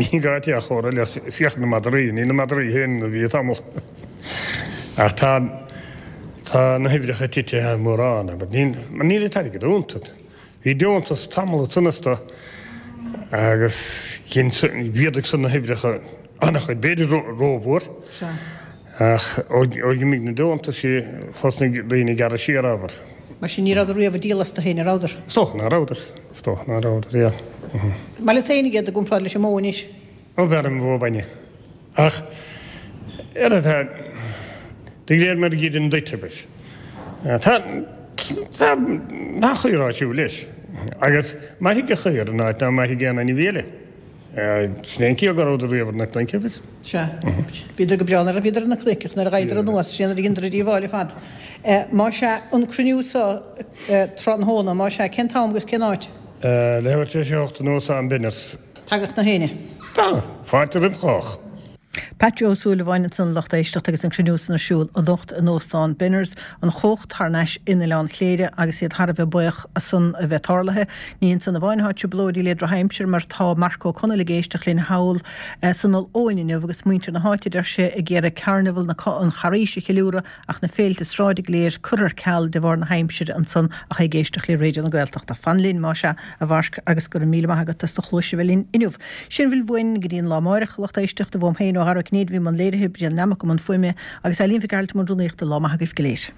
Ní gá duit ach chomhrá le féach ar na madraí, níl na madraí féin mar a bhí tamall. Ach tá, tá na huimhreacha titithe mórán, but níl, níl an t-airgead iontu. Bhí deontas tamall ansan astu agus mhéadaigh san na huimhreacha an-chuid, b'fhéidir rómhór, ach ó d'imigh na deontaisí thosnaigh daoine ag gearradh siar, abair. Mar sin ní rabhadar riamh ag díol astu féin, an rabhadar? Is dócha ná rabhadar, is dócha ná rabhadar, yeah. Maith leat féin iad i gcomparáid leis an mbó anois? Ó b'fhearr liom an bhó bainne. Ach ar a, de réir mar a dhíreann duit, abair. Tá. Tá nach chaor á siúl leis. Agus mairfidh an chaor in áit ná mairfidh aon ainmhí eile. Sin é an ciall go rabhadar riamh ar na cnoic, agus. Sea. Bhíodar go breá nuair a bhíodar ar na cnoic, ach nuair a ghabhadar anuas, sin nuair a dheineadar an díobháil ar fad. Má sea, an cruinniú so tráthnóna, má sea, cén t-am agus cén áit? Leathuair tar éis a hocht in Óstán Benners. Tagadh na héinne. Tá. Fáilte roimh chách. Pat Joe Ó Súilleabháin ansan a lucht éisteachta agus an cruinniú san ar siúl anocht in Óstán Benners, An Chócht thar n-ais in Oileán Chléire agus iad thar a bheith buíoch as san a bheith tarlaithe. Ní ansan amháin atá trioblóidí le drochaimsir mar tá Marc Ó Conaill ag éisteacht linn thall san Fhál Eoghain inniu agus muintir na háite deir sé ag iarraidh Carnival na an Charghais a cheiliúradh ach na féilte sráide go léir curtha ar ceal de bharr na haimsire ansan ach é ag éisteacht le Raidió na Gaeltachta. Fan linn más ea a Mharc agus go raibh míle maith agat as do chluais a bheith linn inniu. Sin a bhfuil uainn go dtí an lá amáireach, a lucht éisteachta, uaim féin ó Dhara Ó Cinnéide a bhí i mbun léirithe, Brian Nammock i mbun fuaime agus Eileen Mhic Gearailt i mbun rúnaíochta. Lá maith agaibh go léir.